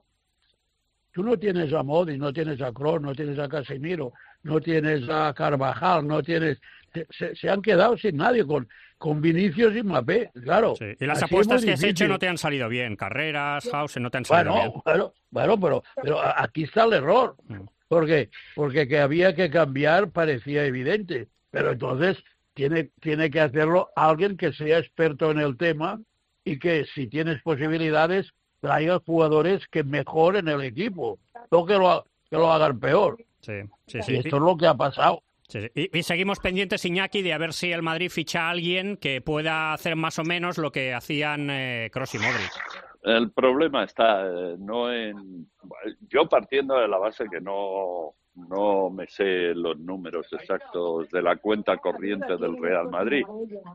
Tú no tienes a Modric, no tienes a Kroos, no tienes a Casemiro, no tienes a Carvajal, no tienes... Se, se han quedado sin nadie, con, con Vinicius y Mbappé, claro. Sí. Y las Así apuestas que has difícil. hecho no te han salido bien. Carreras, Hausen, no te han salido bueno, bien. Bueno, bueno, pero, pero aquí está el error. Mm. ¿Por qué? Porque que había que cambiar parecía evidente. Pero entonces tiene, tiene que hacerlo alguien que sea experto en el tema y que si tienes posibilidades traigas jugadores que mejoren el equipo, no que lo, que lo hagan peor. Sí, sí, Y sí. esto es lo que ha pasado. Sí, sí. Y, y seguimos pendientes, Iñaki, de a ver si el Madrid ficha a alguien que pueda hacer más o menos lo que hacían eh, Kroos y Modric. El problema está eh, no en... Yo partiendo de la base que no, no me sé los números exactos de la cuenta corriente del Real Madrid,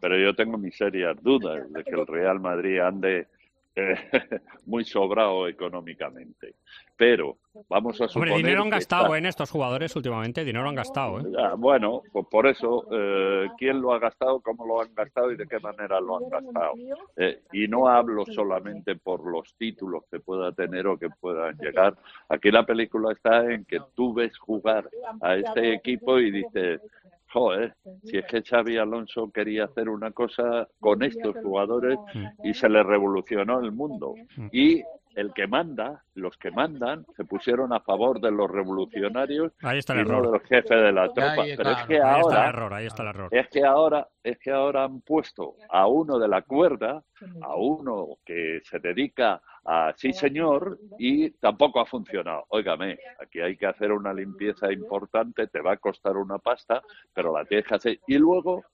pero yo tengo mis serias dudas de que el Real Madrid ande eh, muy sobrado económicamente. Pero vamos a suponer... Hombre, dinero han que gastado está... en estos jugadores últimamente, dinero han gastado, ¿eh? Ah, bueno, pues por eso, eh, ¿quién lo ha gastado, cómo lo han gastado y de qué manera lo han gastado? Eh, y no hablo solamente por los títulos que pueda tener o que puedan llegar. Aquí la película está en que tú ves jugar a este equipo y dices, joder, si es que Xavi Alonso quería hacer una cosa con estos jugadores y se le revolucionó el mundo. Y el que manda, los que mandan, se pusieron a favor de los revolucionarios Ahí está el y no error. del jefe de la tropa. Ahí, Pero claro, es que ahí ahora, está el error, ahí está el error. es que ahora, es que ahora han puesto a uno de la cuerda, a uno que se dedica a sí señor y tampoco ha funcionado. Óigame, aquí hay que hacer una limpieza importante, te va a costar una pasta, pero la tienes que hacer. Y luego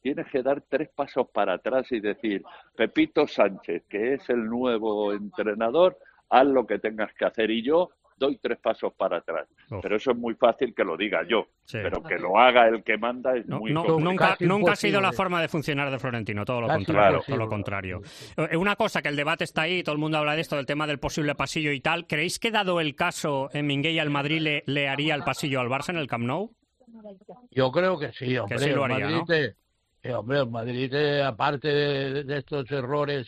tienes que dar tres pasos para atrás y decir, Pepito Sánchez, que es el nuevo entrenador, haz lo que tengas que hacer y yo doy tres pasos para atrás. Uf. Pero eso es muy fácil que lo diga yo, Sí. pero que lo haga el que manda es No, muy no, complicado. nunca, nunca ha sido la forma de funcionar de Florentino, todo lo Casi contrario. imposible. Todo lo contrario. Eh, Una cosa, que el debate está ahí, todo el mundo habla de esto, del tema del posible pasillo y tal. ¿Creéis que dado el caso en Minguella el Madrid le, le haría el pasillo al Barça en el Camp Nou? Yo creo que sí, hombre. Que sí lo haría, el Madrid, ¿no? te- eh, hombre, el Madrid, eh, aparte de, de estos errores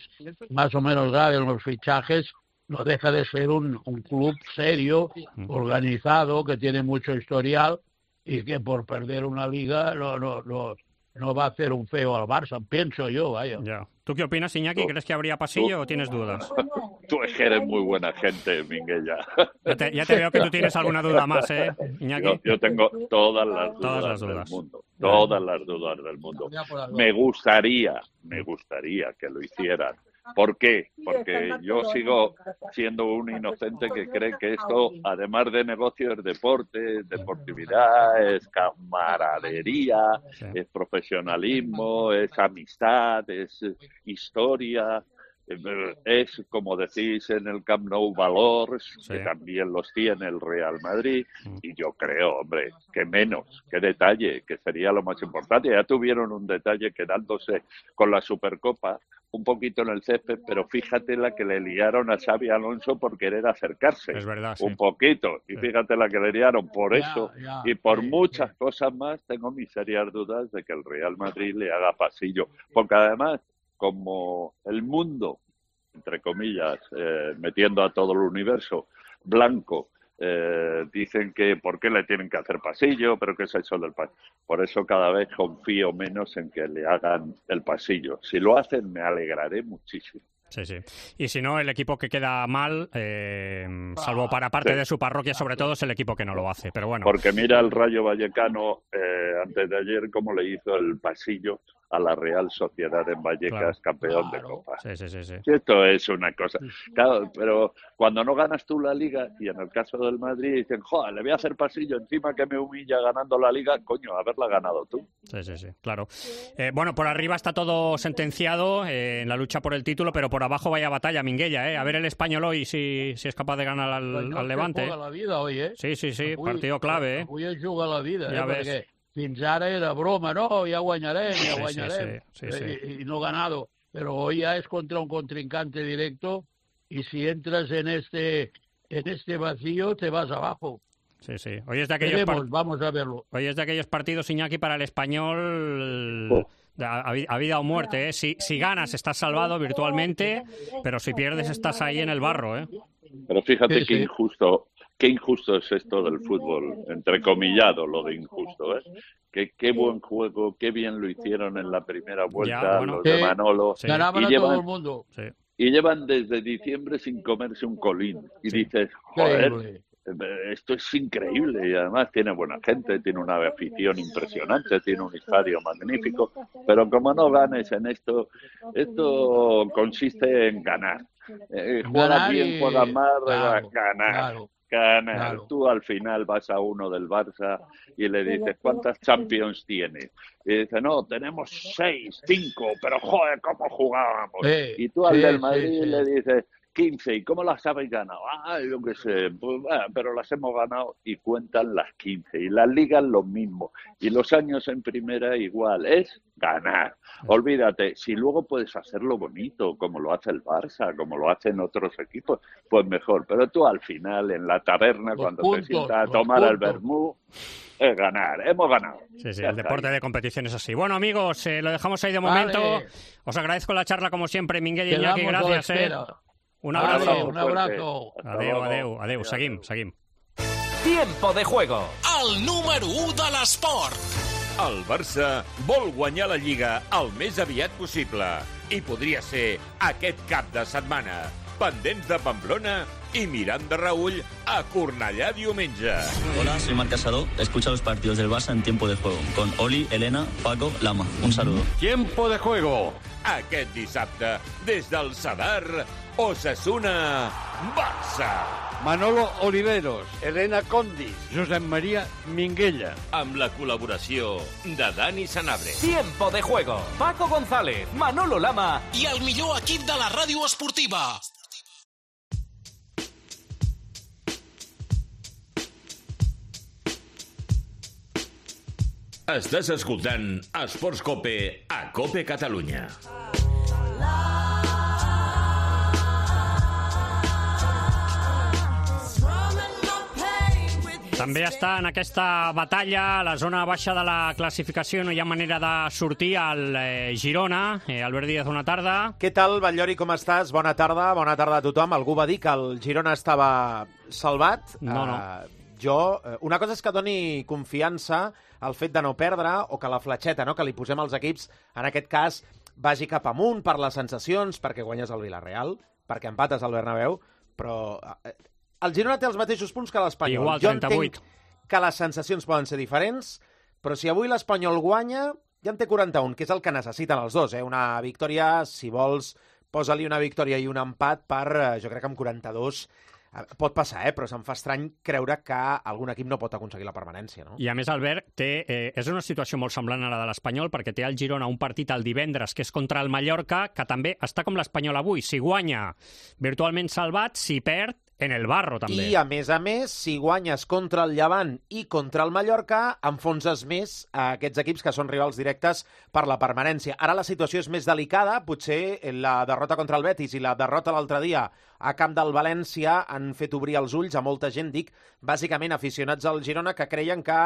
más o menos graves en los fichajes, no deja de ser un, un club serio, organizado, que tiene mucho historial y que por perder una liga no, no, no, no va a hacer un feo al Barça, pienso yo, vaya. Ya. ¿Tú qué opinas, Iñaki? ¿Crees que habría pasillo o tienes dudas? Tú es que eres muy buena gente, Minguella. Ya te, ya te veo que tú tienes alguna duda más, ¿eh, Iñaki? Yo, yo tengo todas las dudas, Todas las del dudas. mundo, todas las dudas del mundo. Me gustaría, me gustaría que lo hicieran. ¿Por qué? Porque yo sigo siendo un inocente que cree que esto, además de negocio, es deporte, es deportividad, es camaradería, es profesionalismo, es amistad, es historia. Es, como decís en el Camp Nou, valores, que también los tiene el Real Madrid, y yo creo, hombre, que menos, que detalle, que sería lo más importante. Ya tuvieron un detalle quedándose con la Supercopa un poquito en el césped, pero fíjate la que le liaron a Xavi Alonso por querer acercarse. Es verdad, sí. Un poquito, y fíjate la que le liaron por Ya, eso, ya, y por sí, muchas cosas más, tengo mis serias dudas de que el Real Madrid le haga pasillo, porque además, como el mundo, entre comillas, eh, metiendo a todo el universo, blanco, eh, dicen que por qué le tienen que hacer pasillo, pero qué es eso del pasillo. Por eso cada vez confío menos en que le hagan el pasillo. Si lo hacen, me alegraré muchísimo. Sí, sí. Y si no, el equipo que queda mal, eh, salvo para parte Sí. de su parroquia, sobre todo, es el equipo que no lo hace. Pero bueno. Porque mira el Rayo Vallecano, eh, antes de ayer, cómo le hizo el pasillo a la Real Sociedad en Vallecas, Claro. campeón de Copa. Sí, sí, sí, sí. Esto es una cosa. Claro, pero cuando no ganas tú la Liga, y en el caso del Madrid dicen, joder, le voy a hacer pasillo encima que me humilla ganando la Liga, coño, haberla ganado tú. Sí, sí, sí, claro. Eh, bueno, por arriba está todo sentenciado eh, en la lucha por el título, pero por abajo vaya batalla, Minguella, ¿eh? A ver el Español hoy si, si es capaz de ganar al, Pues no al se Levante. juga la vida hoy, eh? Sí, sí, sí, Avui- partido clave, ¿eh? Avui es juga la vida, Ja eh? ves. Perquè fins ara era broma, no, ja guanyarem, ja Sí, guanyarem, sí, sí, sí, eh, sí. Y, y no ganado. Pero hoy ya es contra un contrincante directo y si entras en este, en este vacío te vas abajo. Sí, sí. Hoy es de aquellos, Veremos, par- vamos a verlo. hoy es de aquellos partidos, Iñaki, para el Español Oh. a, a vi- a vida o muerte, ¿eh? Si, si ganas estás salvado virtualmente, pero si pierdes estás ahí en el barro, ¿eh? Pero fíjate Sí, qué sí. injusto, qué injusto es esto del fútbol, entrecomillado lo de injusto, ¿eh? Qué, qué buen juego, qué bien lo hicieron en la primera vuelta Ya, bueno. los de Sí. Manolo. Ganaban y a llevan, todo el mundo. y llevan desde diciembre sin comerse un colín. Y dices, joder, Increíble. Esto es increíble y además tiene buena gente, tiene una afición impresionante, tiene un estadio magnífico, pero como no ganes en esto, esto consiste en ganar. Eh, juegas bien, y... juegas mal, claro, ganar. Claro. Ganar. Claro. Tú al final vas a uno del Barça y le dices, ¿cuántas Champions tienes? Y dice, no, tenemos seis, cinco, pero joder, ¿cómo jugábamos? Sí, y tú al sí, del Madrid sí, sí. le dices, quince, ¿y cómo las habéis ganado? Ah, yo qué sé, pues, bueno, pero las hemos ganado y cuentan las quince. Y las ligas lo mismo. Y los años en primera igual, es ganar. Olvídate, si luego puedes hacerlo bonito, como lo hace el Barça, como lo hacen otros equipos, pues mejor. Pero tú al final, en la taberna, los cuando puntos, te sientas a tomar el vermú, es ganar. Hemos ganado. Sí, sí, el deporte ahí. De competición es así. Bueno, amigos, eh, lo dejamos ahí de momento. Vale. Os agradezco la charla, como siempre, Minguell y Iñaki, gracias. Eh. Un abrazo. Vale, un abrazo. Adeu, adeu, adeu. Seguim, seguim. Tiempo de juego. El número u de l'esport. El Barça vol guanyar la Lliga el més aviat possible i podria ser aquest cap de setmana. Pendents de Pamplona y mirant de reüll a Cornellà diumenge. Hola, soy Marc Casado. Escucha los partidos del Barça en Tiempo de Juego con Oli, Elena, Paco, Lama. Un saludo. Tiempo de Juego. Aquest dissabte, des del Sadar, Osasuna, Barça. Manolo Oliveros, Elena Condis, Josep Maria Minguella. Amb la col·laboració de Dani Sanabria. Tiempo de Juego. Paco González, Manolo Lama i el millor equip de la ràdio esportiva. Estàs escoltant Esports Cope a Cope Catalunya. També està en aquesta batalla a la zona baixa de la classificació, no hi ha manera de sortir al eh, Girona. Eh, Albert Díaz, bona tarda. Què tal, Batllori, com estàs? Bona tarda, bona tarda a tothom. Algú va dir que el Girona estava salvat. No, no. Uh, jo, una cosa és que doni confiança al fet de no perdre, o que la fletxeta, no?, que li posem als equips, en aquest cas, vagi cap amunt per les sensacions, perquè guanyes el Villarreal, perquè empates al Bernabéu, però eh, el Girona té els mateixos punts que l'Espanyol. Igual, trenta-vuit. Jo entenc que les sensacions poden ser diferents, però si avui l'Espanyol guanya, ja en té quaranta-un, que és el que necessiten els dos, eh? Una victòria, si vols, posa-li una victòria i un empat per, jo crec que amb quaranta-dos, pot passar, eh? Però se'm fa estrany creure que algun equip no pot aconseguir la permanència, no? I a més, Albert, té, eh, és una situació molt semblant a la de l'Espanyol, perquè té al Girona un partit el divendres, que és contra el Mallorca, que també està com l'Espanyol avui. Si guanya, virtualment salvat, si perd, en el barro, també. I, a més a més, si guanyes contra el Llevant i contra el Mallorca, enfonses més a aquests equips que són rivals directes per la permanència. Ara la situació és més delicada, potser la derrota contra el Betis i la derrota l'altre dia a camp del València han fet obrir els ulls a molta gent, dic, bàsicament aficionats al Girona, que creien que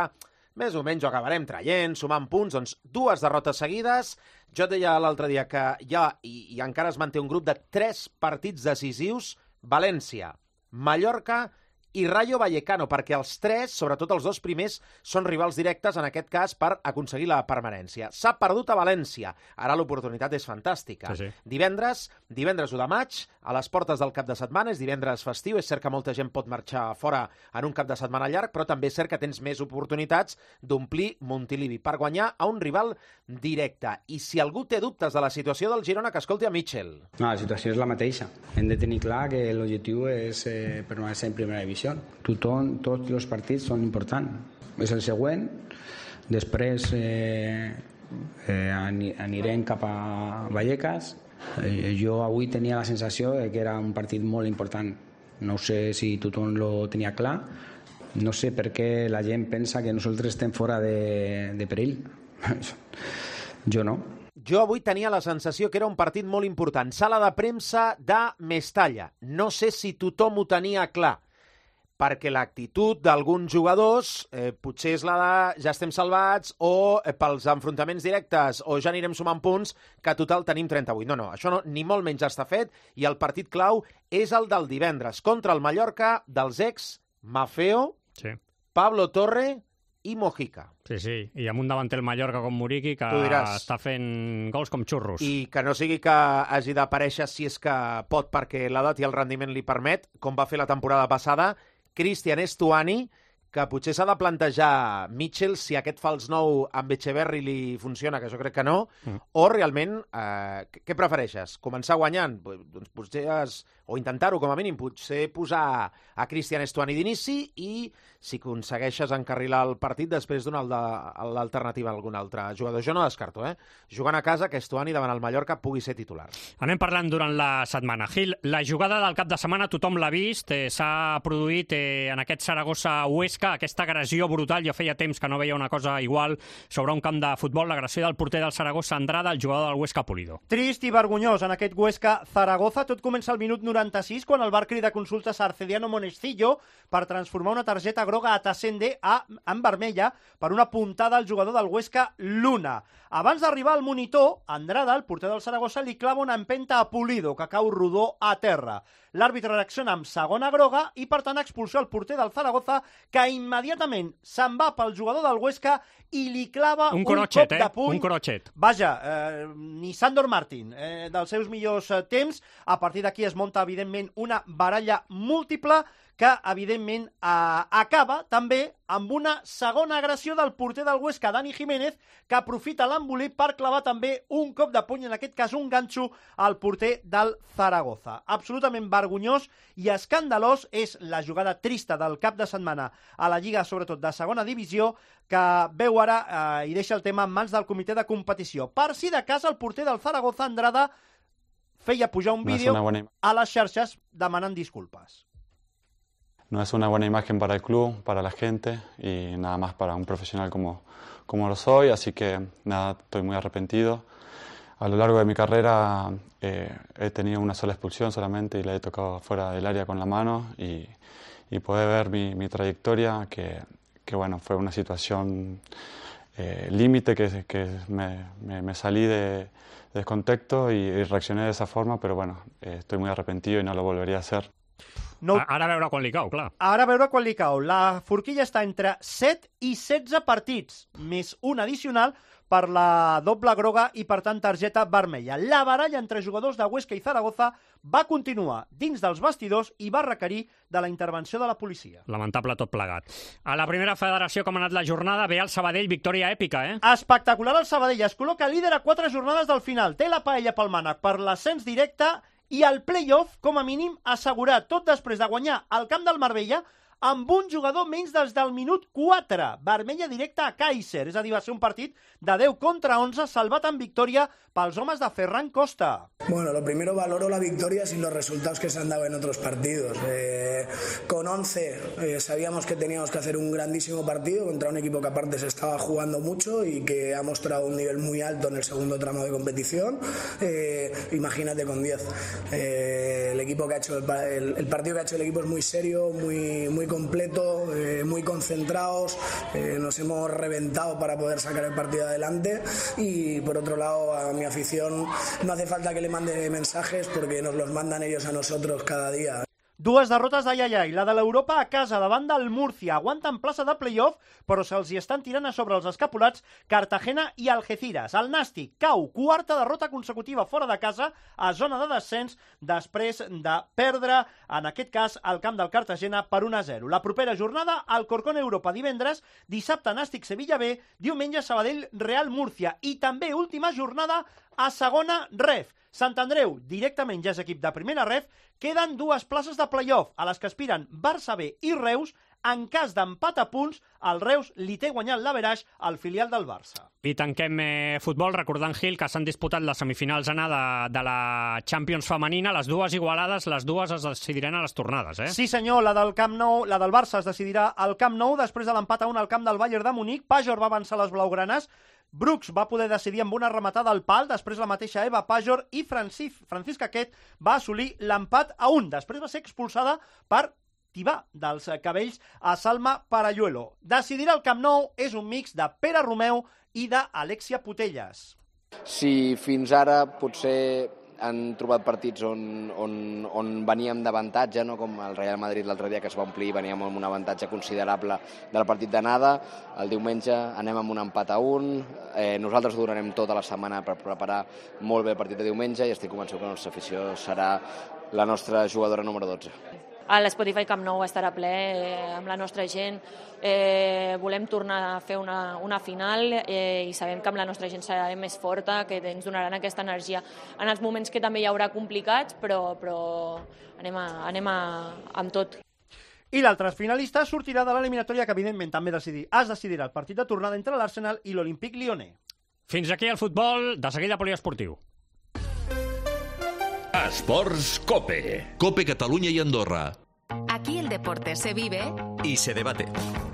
més o menys ho acabarem traient, sumant punts, doncs dues derrotes seguides. Jo et deia l'altre dia que hi ha, i, i encara es manté un grup de tres partits decisius, València, Mallorca i Rayo Vallecano, perquè els tres, sobretot els dos primers, són rivals directes, en aquest cas, per aconseguir la permanència. S'ha perdut a València. Ara l'oportunitat és fantàstica. Sí, sí. Divendres, divendres u de maig, a les portes del cap de setmana, és divendres festiu, és cert que molta gent pot marxar fora en un cap de setmana llarg, però també és cert que tens més oportunitats d'omplir Montilivi per guanyar a un rival directe. I si algú té dubtes de la situació del Girona, que escolti a Mitchell. No, la situació és la mateixa. Hem de tenir clar que l'objectiu és eh, permanecer en primera divisió. Tothom, tots els partits són importants. És el següent. Després eh, eh, anirem cap a Vallecas. Eh, jo avui tenia la sensació de que era un partit molt important. No sé si tothom lo tenia clar. No sé per què la gent pensa que nosaltres estem fora de, de perill. Jo no. Jo avui tenia la sensació que era un partit molt important. Sala de premsa de Mestalla. No sé si tothom ho tenia clar, perquè l'actitud d'alguns jugadors eh, potser és la de ja estem salvats, o eh, pels enfrontaments directes, o ja anirem sumant punts, que total tenim trenta-vuit. No, no, això no, ni molt menys està fet, i el partit clau és el del divendres, contra el Mallorca, dels ex Mafeo, sí. Pablo Torre i Mojica. Sí, sí, i amb un davanter el Mallorca com Muriqui, que està fent gols com xurros. I que no sigui que hagi d'aparèixer, si és que pot, perquè l'edat i el rendiment li permet, com va fer la temporada passada, Cristian Estuani, que potser s'ha de plantejar Mitchell si aquest fals nou amb Echeverri li funciona, que jo crec que no, mm. o realment, eh, què prefereixes? Començar guanyant? Doncs potser has, o intentar-ho com a mínim, potser posar a Cristian Estuani d'inici i si aconsegueixes encarrilar el partit després donar l'alternativa a algun altre jugador. Jo no descarto, eh? Jugant a casa, que Estuani davant el Mallorca pugui ser titular. Anem parlant durant la setmana. Gil, la jugada del cap de setmana tothom l'ha vist, eh, s'ha produït eh, en aquest Saragossa-Huesca, aquesta agressió brutal, jo feia temps que no veia una cosa igual sobre un camp de futbol, l'agressió del porter del Saragossa Andrada, el jugador del Huesca Pulido. Trist i vergonyós en aquest Huesca-Zaragoza. Tot comença al minut noranta-sis, quan el bar crida consultes a Arcediano Monestillo per transformar una targeta groga a Tassende a, en vermella per una puntada al jugador del Huesca Luna. Abans d'arribar al monitor, Andrada, el porter del Saragossa, li clava una empenta a Pulido, que cau rodó a terra. L'àrbitre reacciona amb segona groga i, per tant, expulsa el porter del Zaragoza, que immediatament se'n va pel jugador del Huesca i li clava un, un crochet, cop de puny. Eh? Un crochet. Vaja, eh, ni Sandor Martín, eh, dels seus millors eh, temps. A partir d'aquí es munta, evidentment, una baralla múltiple que, evidentment, eh, acaba també amb una segona agressió del porter del Huesca, Dani Jiménez, que aprofita l'embolic per clavar també un cop de puny, en aquest cas un ganxo, al porter del Zaragoza. Absolutament vergonyós i escandalós és la jugada trista del cap de setmana a la Lliga, sobretot de segona divisió, que veu ara eh, i deixa el tema en mans del comitè de competició. Per si de cas, el porter del Zaragoza, Andrada, feia pujar un vídeo no buena... a les xarxes demanant disculpes. No es una buena imagen para el club, para la gente y nada más para un profesional como, como lo soy, así que nada, estoy muy arrepentido. A lo largo de mi carrera eh, he tenido una sola expulsión solamente y la he tocado fuera del área con la mano y, y poder ver mi, mi trayectoria, que, que bueno, fue una situación eh, límite, que, que me, me, me salí de, de contexto y, y reaccioné de esa forma, pero bueno, eh, estoy muy arrepentido y no lo volvería a hacer. No... Ara a veure quan li cau, clar. Ara a veure quan li cau. La forquilla està entre set i setze partits, més un addicional per la doble groga i, per tant, targeta vermella. La baralla entre jugadors de Huesca i Zaragoza va continuar dins dels vestidors i va requerir de la intervenció de la policia. Lamentable tot plegat. A la primera federació, com ha anat la jornada, ve el Sabadell, victòria èpica, eh? Espectacular el Sabadell. Es col·loca líder a quatre jornades del final. Té la paella pel mànec per l'ascens directe i el play-off, com a mínim, assegurat, tot després de guanyar al camp del Marbella amb un jugador menys des del minut quatre. Vermella directa a Kaiser, és a dir, va ser un partit de deu contra onze, salvat en victòria pels homes de Ferran Costa. Bueno, lo primero valoro la victoria sin los resultados que se han dado en otros partidos. Eh, con once eh, sabíamos que teníamos que hacer un grandísimo partido contra un equipo que aparte se estaba jugando mucho y que ha mostrado un nivel muy alto en el segundo tramo de competición. Eh, imagínate con diez. Eh, el equipo que ha hecho el, el, el partido que ha hecho el equipo es muy serio, muy, muy completo, eh, muy concentrados. Eh, nos hemos reventado para poder sacar el partido adelante y por otro lado a mi afición no hace falta que le mande mensajes porque nos los mandan ellos a nosotros cada día. Dues derrotes d'ai ai ai, la de l'Europa a casa davant del Múrcia, aguanten plaça de play-off, però se'ls hi estan tirant a sobre els escapulats Cartagena i Algeciras. El Nàstic cau, quarta derrota consecutiva fora de casa a zona de descens després de perdre, en aquest cas, al camp del Cartagena per un a zero. La propera jornada, Alcorcón Europa divendres, dissabte Nàstic Sevilla B, diumenge Sabadell Real Múrcia i també última jornada a segona ref. Sant Andreu, directament ja és equip de primera ref, queden dues places de play-off, a les que aspiren Barça B i Reus. En cas d'empat a punts, el Reus li té guanyat l'averaix al filial del Barça. I tanquem eh, futbol recordant, Gil, que s'han disputat les semifinals anar de, de la Champions femenina, les dues igualades, les dues es decidiran a les tornades, eh? Sí senyor, la del Camp Nou, la del Barça es decidirà al Camp Nou després de l'empat a un al camp del Bayern de Munic. Pajor va avançar les blaugranes, Brooks va poder decidir amb una rematada al pal, després la mateixa Eva Pajor i Francis, Francisca Quet va assolir l'empat a un. Després va ser expulsada per tibar dels cabells a Salma Parayuelo. Decidirà el Camp Nou és un mix de Pere Romeu i d'Alexia Putellas. Si fins ara potser han trobat partits on, on, on veníem d'avantatge, no? Com el Real Madrid l'altre dia que es va omplir, veníem amb un avantatge considerable del partit d'anada. El diumenge anem amb un empat a un. Eh, nosaltres durarem tota la setmana per preparar molt bé el partit de diumenge i estic convençut que la nostra afició serà la nostra jugadora número dotze. a l'Spotify Camp Nou estarà ple eh, amb la nostra gent. Eh, volem tornar a fer una, una final eh, i sabem que amb la nostra gent serà més forta, que ens donaran aquesta energia en els moments que també hi haurà complicats, però, però anem, a, anem a, amb tot. I l'altre finalista sortirà de l'eliminatòria que evidentment també decidir, es decidirà el partit de tornada entre l'Arsenal i l'Olympique Lyonnais. Fins aquí el futbol, de seguida poliesportiu. Esports Cope. Cope Catalunya y Andorra. Aquí el deporte se vive y se debate.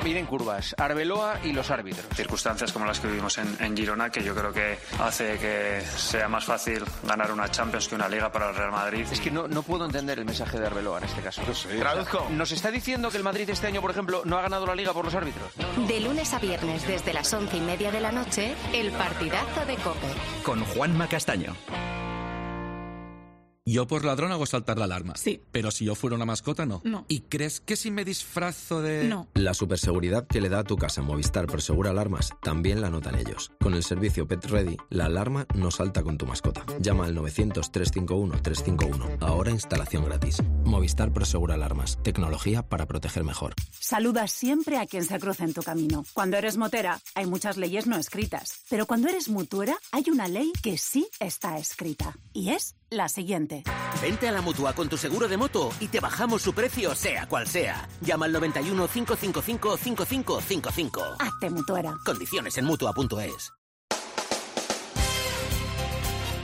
Miren curvas, Arbeloa y los árbitros. Circunstancias como las que vivimos en, en Girona, que yo creo que hace que sea más fácil ganar una Champions que una Liga para el Real Madrid. Es que no, no puedo entender el mensaje de Arbeloa en este caso. No sé. Traduzco. ¿Nos está diciendo que el Madrid este año, por ejemplo, no ha ganado la Liga por los árbitros? No, no. De lunes a viernes desde las once y media de la noche, el partidazo de COPE. Con Juanma Castaño. Yo por ladrón hago saltar la alarma. Sí. Pero si yo fuera una mascota, no. No. ¿Y crees que si me disfrazo de...? No. La superseguridad que le da a tu casa Movistar Prosegur Alarmas también la notan ellos. Con el servicio Pet Ready, la alarma no salta con tu mascota. Llama al novecientos, trescientos cincuenta y uno, trescientos cincuenta y uno. Ahora instalación gratis. Movistar Prosegur Alarmas. Tecnología para proteger mejor. Saluda siempre a quien se cruza en tu camino. Cuando eres motera, hay muchas leyes no escritas. Pero cuando eres mutuera, hay una ley que sí está escrita. Y es la siguiente. Vente a la Mutua con tu seguro de moto y te bajamos su precio, sea cual sea. Llama al noventa y uno, cinco cinco cinco, cinco cinco cinco cinco. Hazte mutuera. Condiciones en mutua punto es.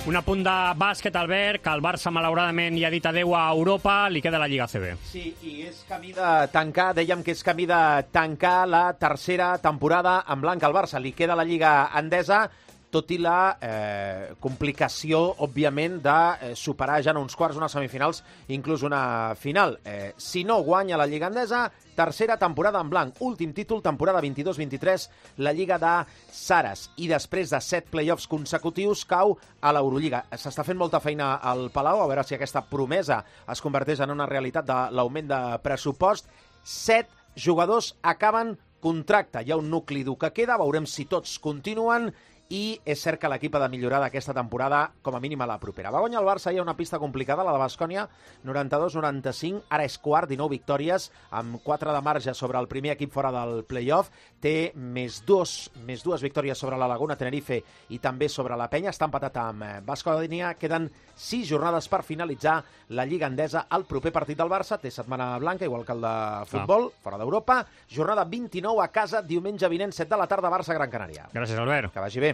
Un apunt de bàsquet, Albert, que el Barça malauradament ja ha dit adeu a Europa, li queda la Lliga A C B. Sí, i és camí de tancar, dèiem que és camí de tancar la tercera temporada en blanc al Barça. Li queda la Lliga Endesa, tot i la eh, complicació, òbviament, de eh, superar ja en uns quarts, unes semifinals, inclús una final. Eh, si no guanya la Lliga Endesa, tercera temporada en blanc, últim títol, temporada vint-i-dos vint-i-tres, la Lliga de Sares. I després de set play-offs consecutius, cau a l'Eurolliga. S'està fent molta feina al Palau, a veure si aquesta promesa es converteix en una realitat de l'augment de pressupost. Set jugadors acaben contracte. Hi ha un nucli dur que queda, veurem si tots continuen, i és cert que l'equip ha de millorar d'aquesta temporada, com a mínim a la propera. Va guanyar el Barça, hi ha una pista complicada, la de Baskonia, noranta-dos noranta-cinc, ara és quart, dinou victòries, amb quatre de marge sobre el primer equip fora del play-off, té més, dos, més dues victòries sobre la Laguna, Tenerife i també sobre la Penya, està empatat amb Baskonia, queden sis jornades per finalitzar la Lliga Endesa. El proper partit del Barça té setmana blanca, igual que el de futbol, ah. fora d'Europa, jornada vint-i-nou a casa, diumenge vinent, set de la tarda, Barça-Gran Canària. Gràcies, Albert. Que vagi bé.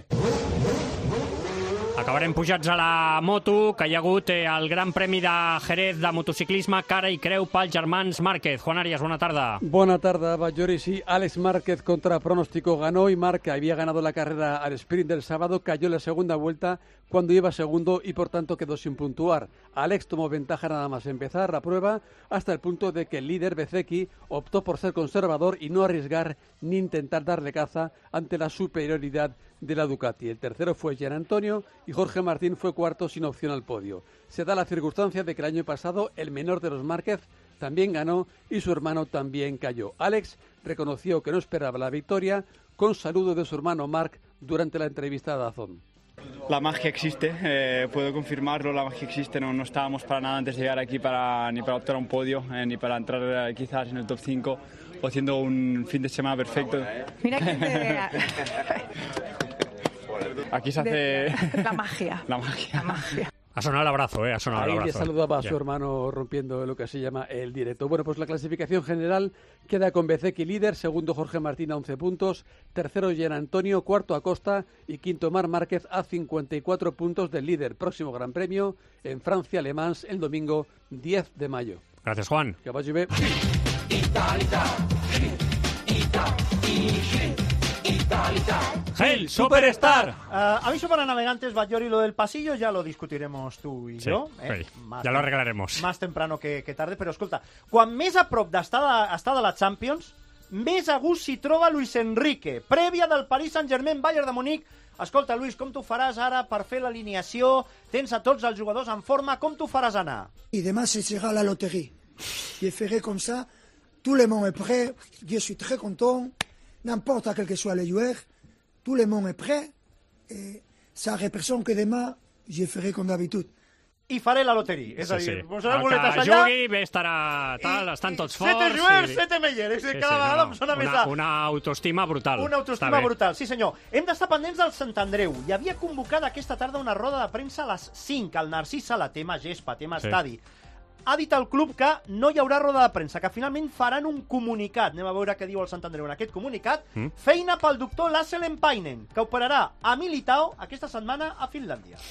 Acabarem pujats a la moto, que hi ha hagut eh, el Gran Premi de Jerez de motociclisme, cara i creu pels germans Márquez. Juan Arias, buena tarda. Buena tarde, Bayori. Sí, Alex Márquez contra pronóstico ganó y Marc, había ganado la carrera al sprint del sábado, cayó en la segunda vuelta cuando iba segundo y por tanto quedó sin puntuar. Alex tomó ventaja nada más empezar la prueba hasta el punto de que el líder Bezzecchi optó por ser conservador y no arriesgar ni intentar darle caza ante la superioridad de la Ducati. El tercero fue Gian Antonio y Jorge Martín fue cuarto sin opción al podio. Se da la circunstancia de que el año pasado el menor de los Márquez también ganó y su hermano también cayó. Alex reconoció que no esperaba la victoria con saludo de su hermano Marc durante la entrevista a DAZN. La magia existe, eh, puedo confirmarlo, la magia existe, no, no estábamos para nada antes de llegar aquí para, ni para optar a un podio, eh, ni para entrar eh, quizás en el top cinco o haciendo un fin de semana perfecto. Mira que te... Aquí se hace... De... La magia. La magia. La magia. Ha sonado el abrazo, ¿eh? Ha sonado Ahí el abrazo. le saludaba a su ya. hermano rompiendo lo que se llama el directo. Bueno, pues la clasificación general queda con Bezzecchi líder, segundo Jorge Martín a once puntos, tercero Gian Antonio, cuarto Acosta y quinto Marc Márquez a cincuenta y cuatro puntos del líder. Próximo Gran Premio en Francia, Le Mans, el domingo diez de mayo. Gracias, Juan. Que vagi bé. ¡Hey, Superstar! Uh, aviso para navegantes, Bayori, lo del pasillo ya lo discutiremos tú y sí, yo. Eh? Sí. Ya lo arreglaremos. Más temprano que, que tarde, però escolta, quan més a prop d'estar de, estar de la Champions, més a gust s'hi troba Luis Enrique, prèvia del Paris Saint-Germain Bayern de Munic. Escolta, Luis, com tu faràs ara per fer l'alineació? Tens a tots els jugadors en forma, com tu faràs anar? Et demain, ce sera la loterie. Je ferai comme ça, tout le monde est prêt, je suis très content, n'importe quel que soit le joueur, tout le monde est prêt, et ça représente que demain, je ferai comme d'habitude. i faré la loteria. És a dir, sí. posaré El boletes que allà... jugui, bé estarà tal, estan tots forts... Sete joueurs, i... sete meilleurs. És a dir, Sí, cada sí, vegada no, em sona una, més a... Una autoestima brutal. Una autoestima brutal, sí senyor. Hem d'estar pendents del Sant Andreu. Hi havia convocada aquesta tarda una roda de premsa a les cinc. El Narcís Sala, tema gespa, tema Sí. estadi. Ha dit el club que no hi haurà roda de premsa, que finalment faran un comunicat. Anem a veure què diu el Sant Andreu en aquest comunicat. Mm. Feina pel doctor Lasse Lempainen, que operarà a Militao aquesta setmana a Finlàndia.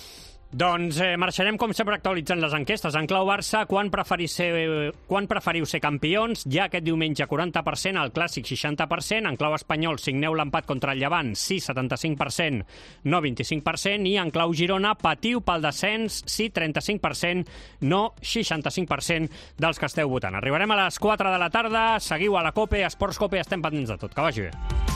Doncs eh, marxarem, com sempre, actualitzant les enquestes. En clau Barça, quan, preferiu ser, quan preferiu ser campions? Ja aquest diumenge quaranta per cent, el Clàssic seixanta per cent, en clau espanyol signeu l'empat contra el Llevant, sí, setanta-cinc per cent, no, vint-i-cinc per cent, i en clau Girona patiu pel descens, sí, trenta-cinc per cent, no, seixanta-cinc per cent dels que esteu votant. Arribarem a les quatre de la tarda, seguiu a la COPE, Esports COPE, estem pendents de tot. Que vagi bé.